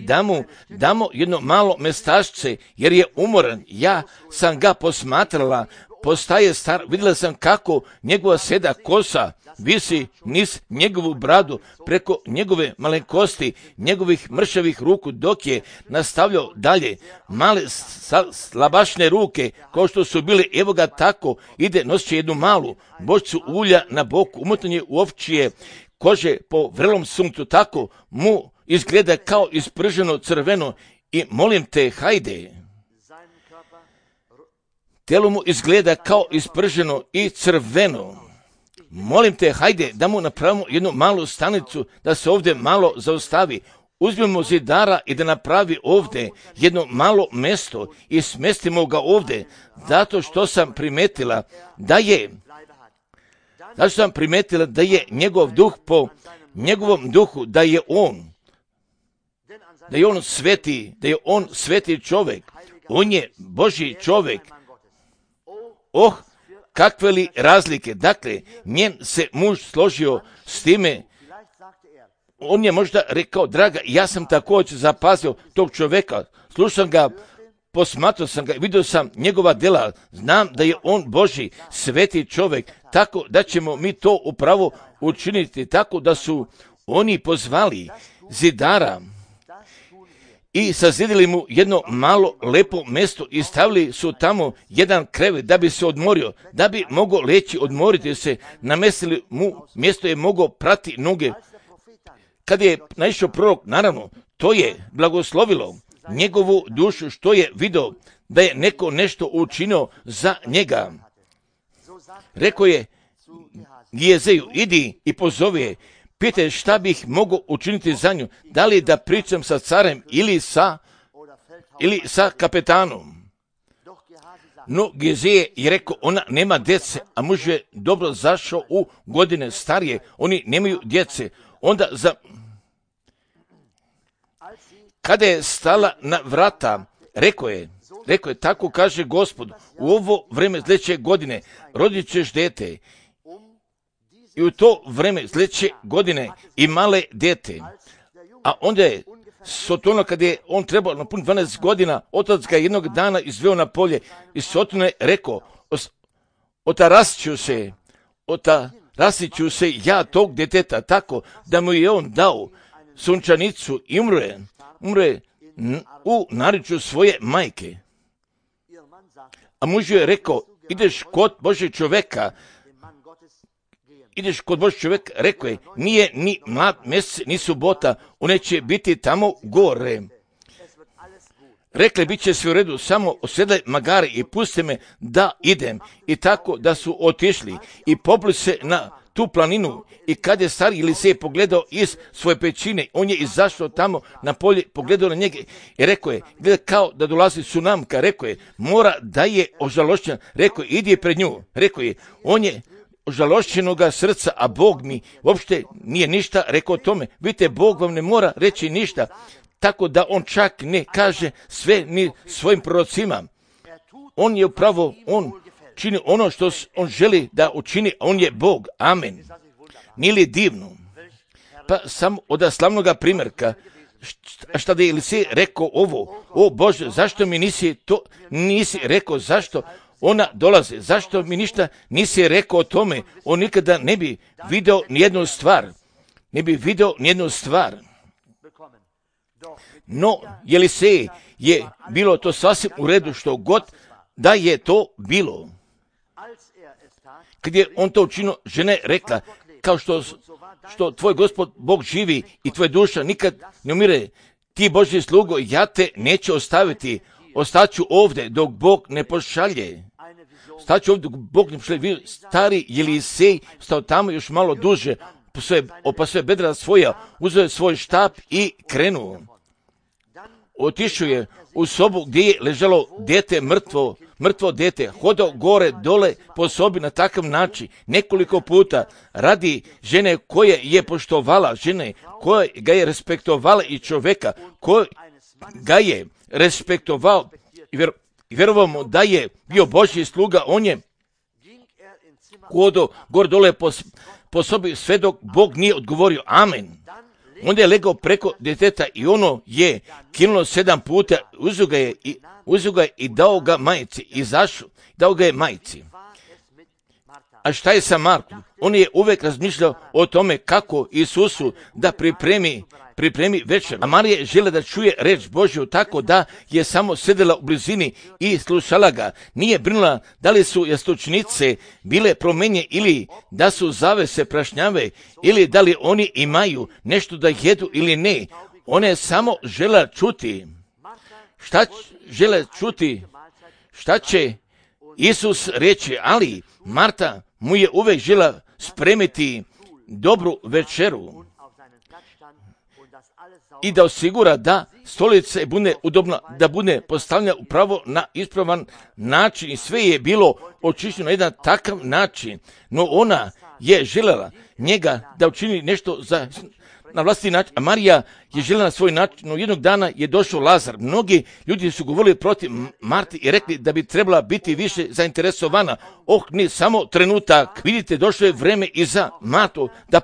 damo jedno malo mestašce, jer je umoran. Ja sam ga posmatrala, postaje star, vidjela sam kako njegova seda kosa visi niz njegovu bradu, preko njegove malenkosti, njegovih mršavih ruku, dok je nastavljao dalje. Male slabašne ruke, kao što su bile, evo ga tako, ide, nosit će jednu malu bočicu ulja na boku, umotanje u ovčije kože po vrelom sunktu, tako mu izgleda kao isprženo crveno, i molim te, hajde. Telo mu izgleda kao isprženo i crveno. Molim te, hajde da mu napravimo jednu malu stanicu, da se ovdje malo zaustavi. Uzmimo zidara i da napravi ovdje jedno malo mjesto i smestimo ga ovdje, zato što sam primetila da je njegov duh po njegovom duhu, da je on sveti čovjek, on je Božji čovjek. Kakve li razlike. Dakle, njen se muž složio s time. On je možda rekao, draga, ja sam također zapazio tog čovjeka, slušam ga, posmatrao sam ga, vidio sam njegova djela, znam da je on Božji sveti čovjek, tako da ćemo mi to upravo učiniti, tako da su oni pozvali zidara i sazidili mu jedno malo lepo mjesto i stavili su tamo jedan krevet da bi se odmorio, da bi mogao leći, odmoriti se, namestili mu mjesto je mogao prati noge. Kad je naišao prorok, naravno, to je blagoslovilo njegovu dušu, što je vidio da je neko nešto učinio za njega. Rekao je Gijezeju, idi i pozovi je, pitaj šta bih mogao učiniti za nju, da li da pričam sa carem ili sa kapetanom. No Gizije je rekao, ona nema djece, a muž je dobro zašao u godine starije, oni nemaju djece. Onda kada je stala na vrata, rekao je, tako kaže Gospod, u ovo vreme sljedeće godine rodit ćeš dete. I u to vreme sljedeće godine i male dete. A onda je Sotono, kad je on trebao napuniti 12 godina, otac ga jednog dana izveo na polje i Sotono je rekao, otarasit ću se ja tog djeteta tako da mu je on dao sunčanicu i umre u naričju svoje majke. A muž je rekao, ideš kod Božeg čovjeka, rekao je, nije ni mlad mjesec, ni subota, one će biti tamo gore. Rekli, bit će sve u redu, samo osjedaj magare i pusti me da idem. I tako da su otišli i popli se na tu planinu, i kad je stari Elisej pogledao iz svoje pećine, on je izašao tamo na polje, pogledao na njega i rekao je, gleda kao da dolazi tsunamka, rekao je, mora da je ožalošćen, rekao je, idi pred nju, rekao je, on je ožalošćenoga srca, a Bog mi uopšte nije ništa rekao o tome. Vidite, Bog vam ne mora reći ništa, tako da on čak ne kaže sve ni svojim prorocima. On je upravo, on čini ono što on želi da učini, a on je Bog. Amen. Nije li divno? Pa sam od slavnoga primjerka, šta da je Elisej rekao ovo, o Bože, zašto mi nisi rekao, zašto ona dolaze. Zašto mi ništa nisi rekao o tome? On nikada ne bi video nijednu stvar. Ne bi video nijednu stvar. No, Jelisej je bilo to sasvim u redu što god da je to bilo. Kad je on to učinio, žena je rekla, kao što tvoj Gospod Bog živi i tvoja duša nikad ne umire, ti Božji slugo, ja te neću ostaviti, ostaću ovdje dok Bog ne pošalje. Staću ovdje dok Bog ne pošalje. Stari Jelisej stao tamo još malo duže, pa sve bedra svoja, uzeo je svoj štap i krenuo. Otišao je u sobu gdje je ležalo dete, mrtvo dete, hodao gore, dole po sobi na takav način nekoliko puta radi žene koje je poštovala, žene koja ga je respektovala i čovjeka koji ga je respektovao i vjerovamo da je bio Božji sluga. On je hodao gore, dole po sobi sve dok Bog nije odgovorio amen. Onda je legao preko djeteta i ono je kinulo 7 puta, uzeo ga je i dao ga majici, izašao, dao ga je majici. A šta je sa Markom? On je uvijek razmišljao o tome kako Isusu da pripremi večer. A Marija je željela da čuje reč Božju, tako da je samo sedela u blizini i slušala ga. Nije brinula da li su jastučnice bile promenje ili da su zavese prašnjave ili da li oni imaju nešto da jedu ili ne. Ona je samo željela čuti. Šta će Isus reći, ali Marta mu je uvijek željela spremiti dobru večeru i da osigura da stolica bude udobna, da bude postavljena upravo na ispravan način i sve je bilo očišćeno na jedan takav način. No ona je željela njega da učini nešto na vlastiti način, a Marija je željela na svoj način. No jednog dana je došao Lazar. Mnogi ljudi su govorili protiv Marti i rekli da bi trebala biti više zainteresovana. Ne, samo trenutak. Vidite, došlo je vreme i za Martu da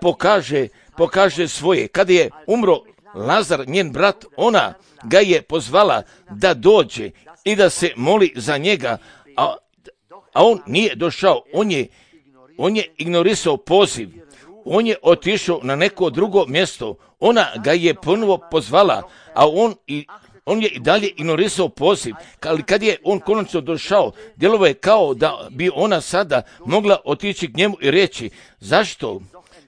pokaže svoje. Kada je umro Lazar, njen brat, ona ga je pozvala da dođe i da se moli za njega, a on nije došao. On je ignorisao poziv. On je otišao na neko drugo mjesto. Ona ga je ponovo pozvala, a on je i dalje ignorisao poziv. Ali kad je on konačno došao, djelovo je kao da bi ona sada mogla otići k njemu i reći, zašto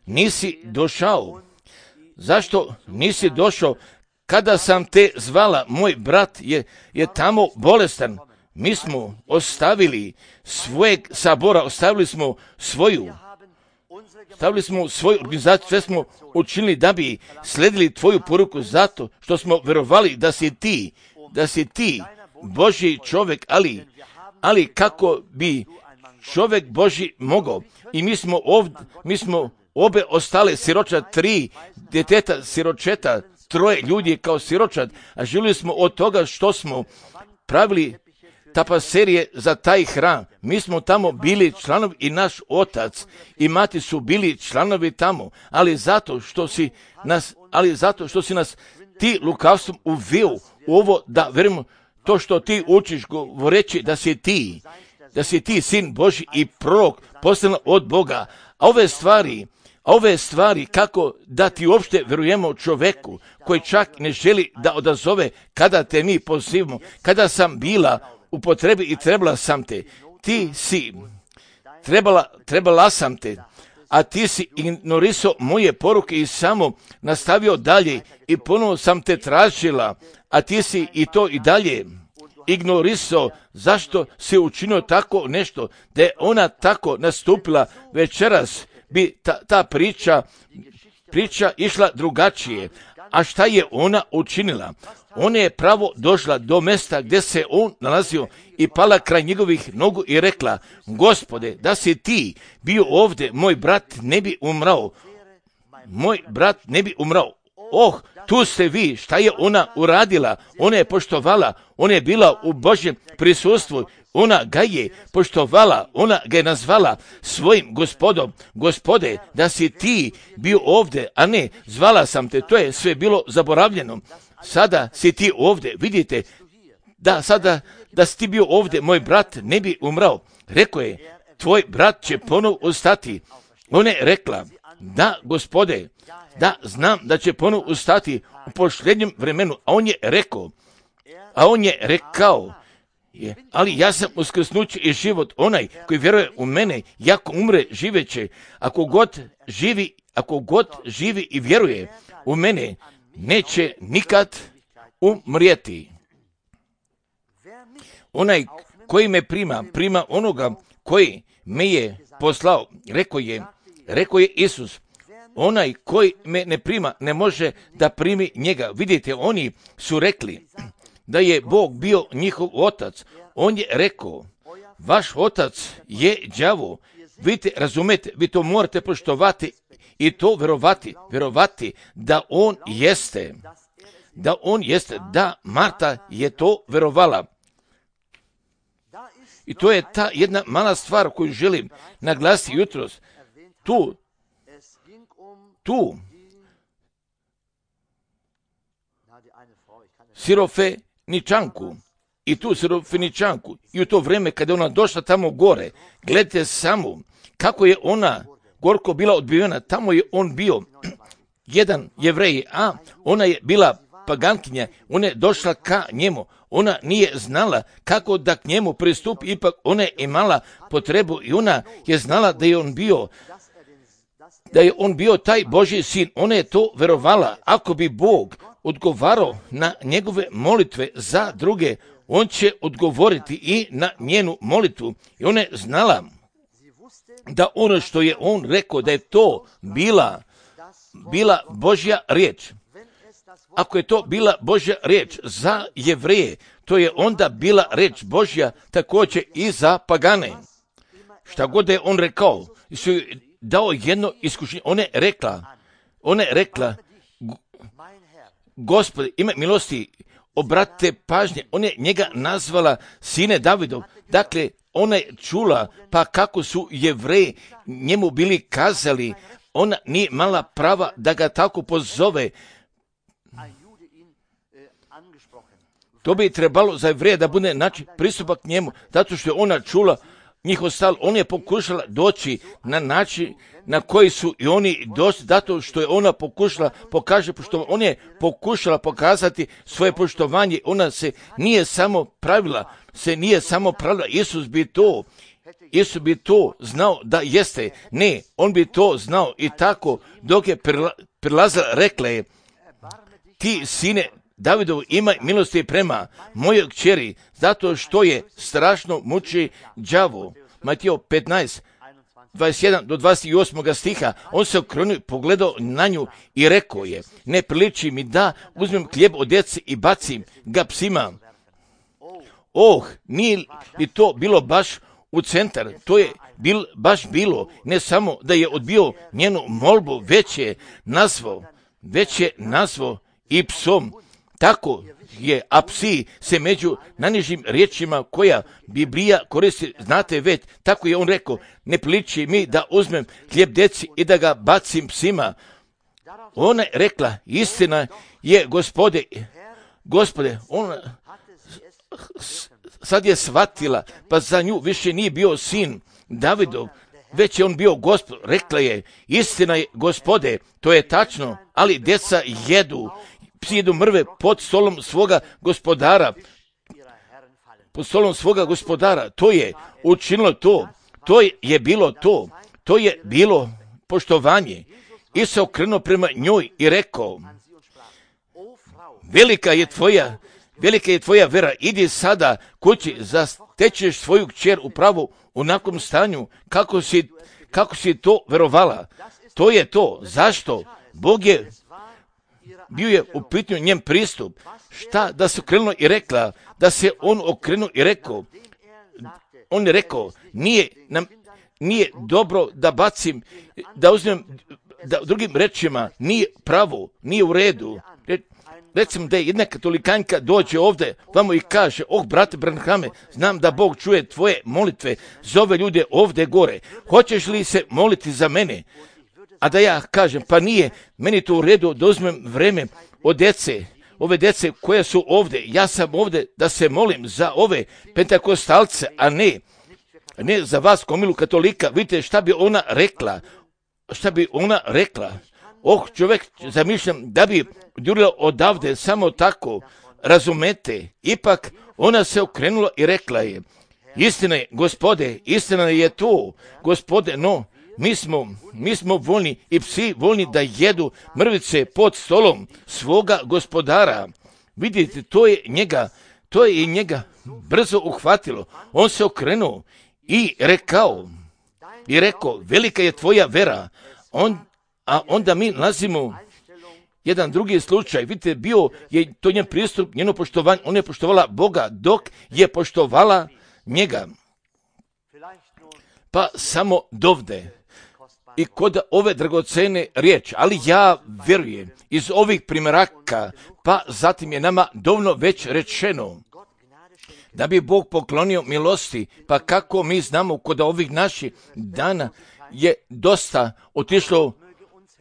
nisi došao? Zašto nisi došao kada sam te zvala? Moj brat je tamo bolestan. Mi smo ostavili svojeg sabora, ostavili smo svoju organizaciju, sve smo učinili da bi sledili tvoju poruku zato što smo vjerovali da si ti Božji čovjek, ali kako bi čovjek Božji mogao? I mi smo obe ostale siročad, 3 djeteta siročeta, 3 ljudi kao siročad, a živjeli smo od toga što smo pravili tapaserije za taj hram. Mi smo tamo bili članovi i naš otac i mati su bili članovi tamo, ali zato što si nas ti lukavstvom uveo u ovo da verujemo to što ti učiš govoreći da si ti sin Božji i prorok poslan od Boga. A ove stvari kako da ti uopšte verujemo čoveku koji čak ne želi da odazove kada te mi pozivamo. Kada sam bila u potrebi i trebala sam te, trebala sam te, a ti si ignorisao moje poruke i samo nastavio dalje i ponovo sam te tražila, a ti si i to i dalje ignorisao. Zašto si učinio tako nešto? Da je ona tako nastupila večeras, bi ta priča išla drugačije. A šta je ona učinila? Ona je pravo došla do mjesta gdje se on nalazio i pala kraj njegovih nogu i rekla, Gospode, da si ti bio ovdje, moj brat ne bi umrao. Tu ste vi. Šta je ona uradila? Ona je poštovala, ona je bila u Božjem prisustvu, ona ga je poštovala, ona ga je nazvala svojim gospodom. Gospode, da si ti bio ovdje, a ne, zvala sam te, to je sve bilo zaboravljeno. Sada si ti ovdje, vidite, da sada, da si ti bio ovdje, moj brat ne bi umrao. Rekao je, tvoj brat će ponovo ustati. Ona je rekla, da, Gospode, da, znam da će ponovo ustati u posljednjem vremenu. A on je rekao, ali ja sam uskrsnuće i život, onaj koji vjeruje u mene, jako umre, živeće. Ako god živi i vjeruje u mene, neće nikad umrijeti. Onaj koji me prima onoga koji me je poslao, rekao je Isus. Onaj koji me ne prima, ne može da primi njega. Vidite, oni su rekli da je Bog bio njihov otac. On je rekao, vaš otac je đavo. Vidite, razumete, vi to morate poštovati i to vjerovati da on jeste. Da Marta je to vjerovala. I to je ta jedna mala stvar koju želim naglasiti jutros. Tu Sirofeničanku i u to vrijeme kada je ona došla tamo gore, gledajte samo kako je ona gorko bila odbijena. Tamo je on bio jedan Jevrej, a ona je bila pagankinja. Ona je došla ka njemu. Ona nije znala kako da k njemu pristupi, ipak ona je imala potrebu i ona je znala da je on bio taj Božji sin. Ona je to verovala. Ako bi Bog odgovarao na njegove molitve za druge, on će odgovoriti i na njenu molitvu. I ona je znala da ono što je on rekao, da je to bila Božja riječ. Ako je to bila Božja riječ za Jevreje, to je onda bila riječ Božja također i za pagane. Šta god je on rekao, su dao jedno iskušenje. Ona je rekla, Gospode, ima milosti, obratite pažnje. Ona je njega nazvala sine Davidov. Dakle, ona je čula, pa kako su Jevreji njemu bili kazali, ona nije mala prava da ga tako pozove. To bi trebalo za Jevreja da bude pristupak njemu, zato što je ona čula njihov stav. Ona je pokušala doći na način na koji su i oni došli, zato što je ona pokušala ona je pokušala pokazati svoje poštovanje. Ona se nije samo pravila. Isus bi to znao da jeste. Ne, on bi to znao i tako dok je prilazila, rekla je, ti sine Davidov, imaj milosti prema mojoj kćeri, zato što je strašno muči đavo. Mateo 15, 21 do 28 stiha, on se okrenuo, pogledao na nju i rekao je, ne priliči mi da uzmem hljeb od djece i bacim ga psima. Nije li to bilo baš u centar? To je baš bilo, ne samo da je odbio njenu molbu, već je nazvao i psom. Tako je, a psi se među najnižim riječima koja Biblija koristi, znate već, tako je on rekao, ne priliči mi da uzmem hljeb djeci i da ga bacim psima. Ona je rekla, istina je, Gospode, ona sad je shvatila, pa za nju više nije bio sin Davidov, već je on bio Gospod. Rekla je, istina je, Gospode, to je tačno, ali djeca psi jedu mrve pod stolom svoga gospodara. To je učinilo to. To je bilo poštovanje. I se okrenuo prema njoj i rekao, velika je tvoja vera, idi sada kući, zatečeš svoju kćer upravo u onakvom stanju kako si to verovala. To je to. Zašto? Bog je bio je u pitanju njen pristup. Šta da se okrenuo i rekla, da se on okrenuo i rekao, on je rekao, nije dobro da bacim, da uzmem, da drugim rečima, nije pravo, nije u redu. Recimo da je jedna katolikanjka dođe ovdje, vamo i kaže, brate Branhame, znam da Bog čuje tvoje molitve, zove ljude ovdje gore, hoćeš li se moliti za mene? A da ja kažem, pa nije meni to u redu da uzmem vreme od djece, ove djece koje su ovdje, ja sam ovdje da se molim za ove pentakostalce, a ne za vas komilu katolika. Vidite šta bi ona rekla. Čovjek, zamišljam da bi jurila odavde samo tako, razumete. Ipak ona se okrenula i rekla je, istina je, Gospode, istina je to, Gospode, no mi smo voljni i psi voljni da jedu mrvice pod stolom svoga gospodara. Vidite, to je i njega brzo uhvatilo. On se okrenuo i rekao, velika je tvoja vera. A onda mi nalazimo jedan drugi slučaj. Vidite, bio je to njen pristup, njeno poštovanje. Ona je poštovala Boga dok je poštovala njega. Pa samo dovde i kod ove dragocene riječi, ali ja vjerujem iz ovih primjeraka, pa zatim je nama dovoljno već rečeno da bi Bog poklonio milosti, pa kako mi znamo kod ovih naših dana je dosta otišlo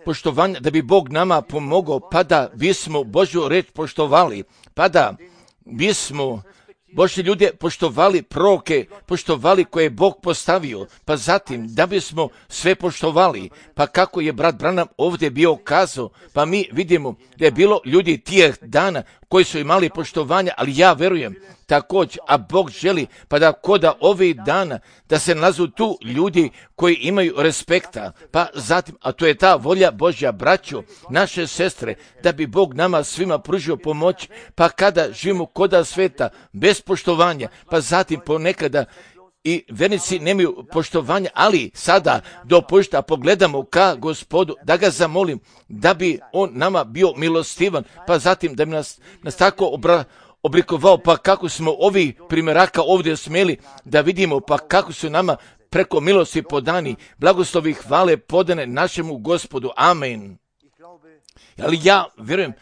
poštovanja da bi Bog nama pomogao, pa da bismo Božju reč poštovali, pa da bismo Božji ljude poštovali, proroke poštovali koje je Bog postavio, pa zatim da bismo sve poštovali, pa kako je brat Branham ovdje bio kazao, pa mi vidimo da je bilo ljudi tijeh dana koji su imali poštovanja, ali ja vjerujem također, a Bog želi, pa da koda ovih dana da se nalazu tu ljudi koji imaju respekta, pa zatim, a to je ta volja Božja, braćo, naše sestre, da bi Bog nama svima pružio pomoć, pa kada živimo koda sveta bez poštovanja, pa zatim ponekada i vernici nemaju poštovanja, ali sada dopušta pogledamo ka Gospodu, da ga zamolim, da bi on nama bio milostivan, pa zatim da bi nas tako oblikovao, pa kako smo ovi primjeraka ovdje smjeli da vidimo, pa kako su nama preko milosti podani, blagoslovi hvale podane našemu Gospodu. Amen. Ali ja vjerujem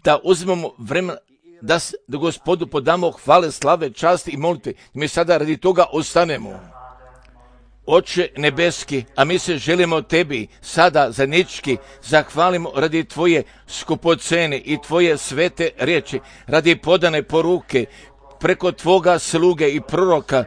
da uzmemo vremena da Gospodu podamo hvale, slave, časti i molitve. Mi sada radi toga ostanemo. Oče nebeski, a mi se želimo tebi sada zajednički zahvalimo radi tvoje skupocene i tvoje svete riječi, radi podane poruke preko tvoga sluge i proroka,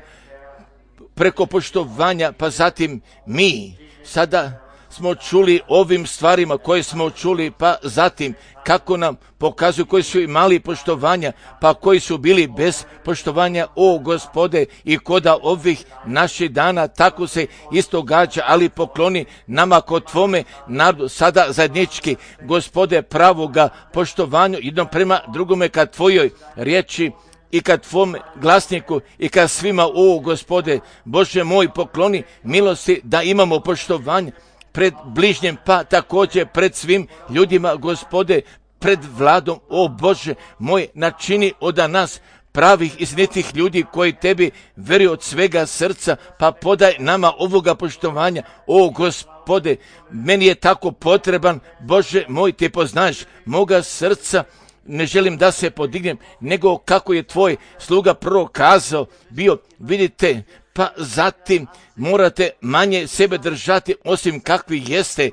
preko poštovanja, pa zatim mi sada smo čuli ovim stvarima koje smo čuli, pa zatim kako nam pokazuju koji su imali poštovanja, pa koji su bili bez poštovanja, o Gospode, i koda ovih naših dana tako se isto gađa, ali pokloni nama kod tvome narodu sada zajednički, Gospode, pravoga poštovanju jednom prema drugome ka tvojoj riječi i kad tvom glasniku i kad svima, o Gospode, Bože moj, pokloni milosti da imamo poštovanje pred bližnjem, pa također pred svim ljudima, Gospode, pred vladom, o Bože moj, načini od nas pravih i istinitih ljudi koji tebi vjeruju od svega srca, pa podaj nama ovoga poštovanja, o Gospode, meni je tako potreban, Bože moj, ti poznaješ moga srca, ne želim da se podignem, nego kako je tvoj sluga prvo kazao, bio, vidite, pa zatim morate manje sebe držati osim kakvi jeste,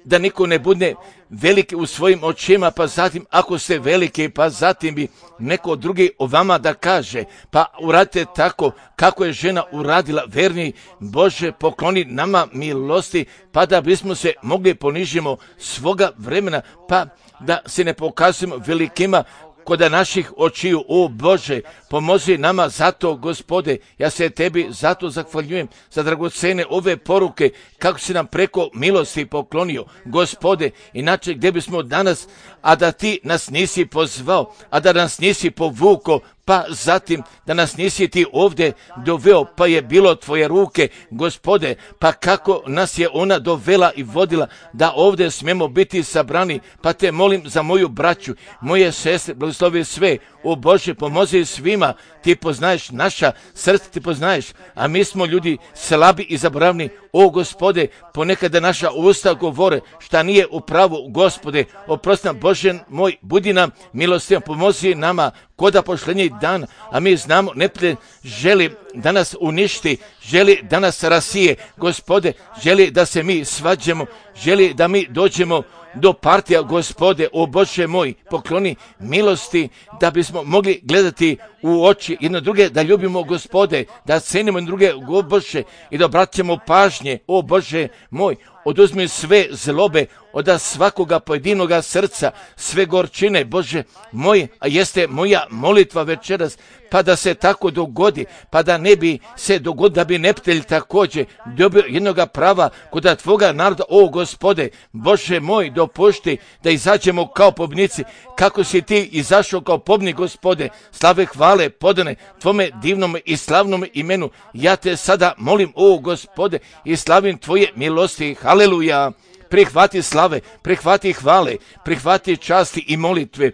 da niko ne bude veliki u svojim očima, pa zatim ako ste veliki, pa zatim bi neko drugi o vama da kaže, pa uradite tako kako je žena uradila, verni Bože, pokloni nama milosti, pa da bismo se mogli ponižimo svoga vremena, pa da se ne pokazujemo velikima kod naših očiju, o Bože, pomozi nama zato, Gospode, ja se tebi zato zahvaljujem za dragocene ove poruke, kako si nam preko milosti poklonio, Gospode, inače gdje bismo danas, a da ti nas nisi pozvao, a da nas nisi povukao, pa zatim da nas nisi ti ovdje doveo, pa je bilo tvoje ruke, Gospode, pa kako nas je ona dovela i vodila, da ovdje smijemo biti sabrani, pa te molim za moju braću, moje sestre, blagoslovi sve, o Bože, pomozi svima, ti poznaješ naša srca, ti poznaješ, a mi smo ljudi slabi i zaboravni, o Gospode, ponekada naša usta govore šta nije u pravu, Gospode, oprosti nam, Bože moj, budi nam milostivan, pomozi nama koda pošlenjih dan, a mi znamo, neprijatelj želi da nas uništi, želi da nas rasije, Gospode, želi da se mi svađamo, želi da mi dođemo do partija, Gospode, o Bože moj, pokloni milosti da bismo mogli gledati u oči jedno druge, da ljubimo, Gospode, da cenimo druge, o Bože, i da obraćamo pažnje, o Bože moj, oduzmi sve zlobe od svakoga pojedinoga srca, sve gorčine, Bože moj, a jeste moja molitva večeras, pa da se tako dogodi, pa da ne bi se dogodilo, da bi neptelj također dobio jednoga prava kod Tvoga naroda, o Gospode, Bože moj, dopušti da izađemo kao pobnici, kako si Ti izašao kao pobnik, Gospode, slave, hvale, podane Tvome divnom i slavnom imenu. Ja Te sada molim, o Gospode, i slavim Tvoje milosti, haleluja. Prihvati slave, prihvati hvale, prihvati časti i molitve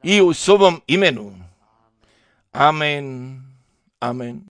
i u svovom imenu. Amen. Amen.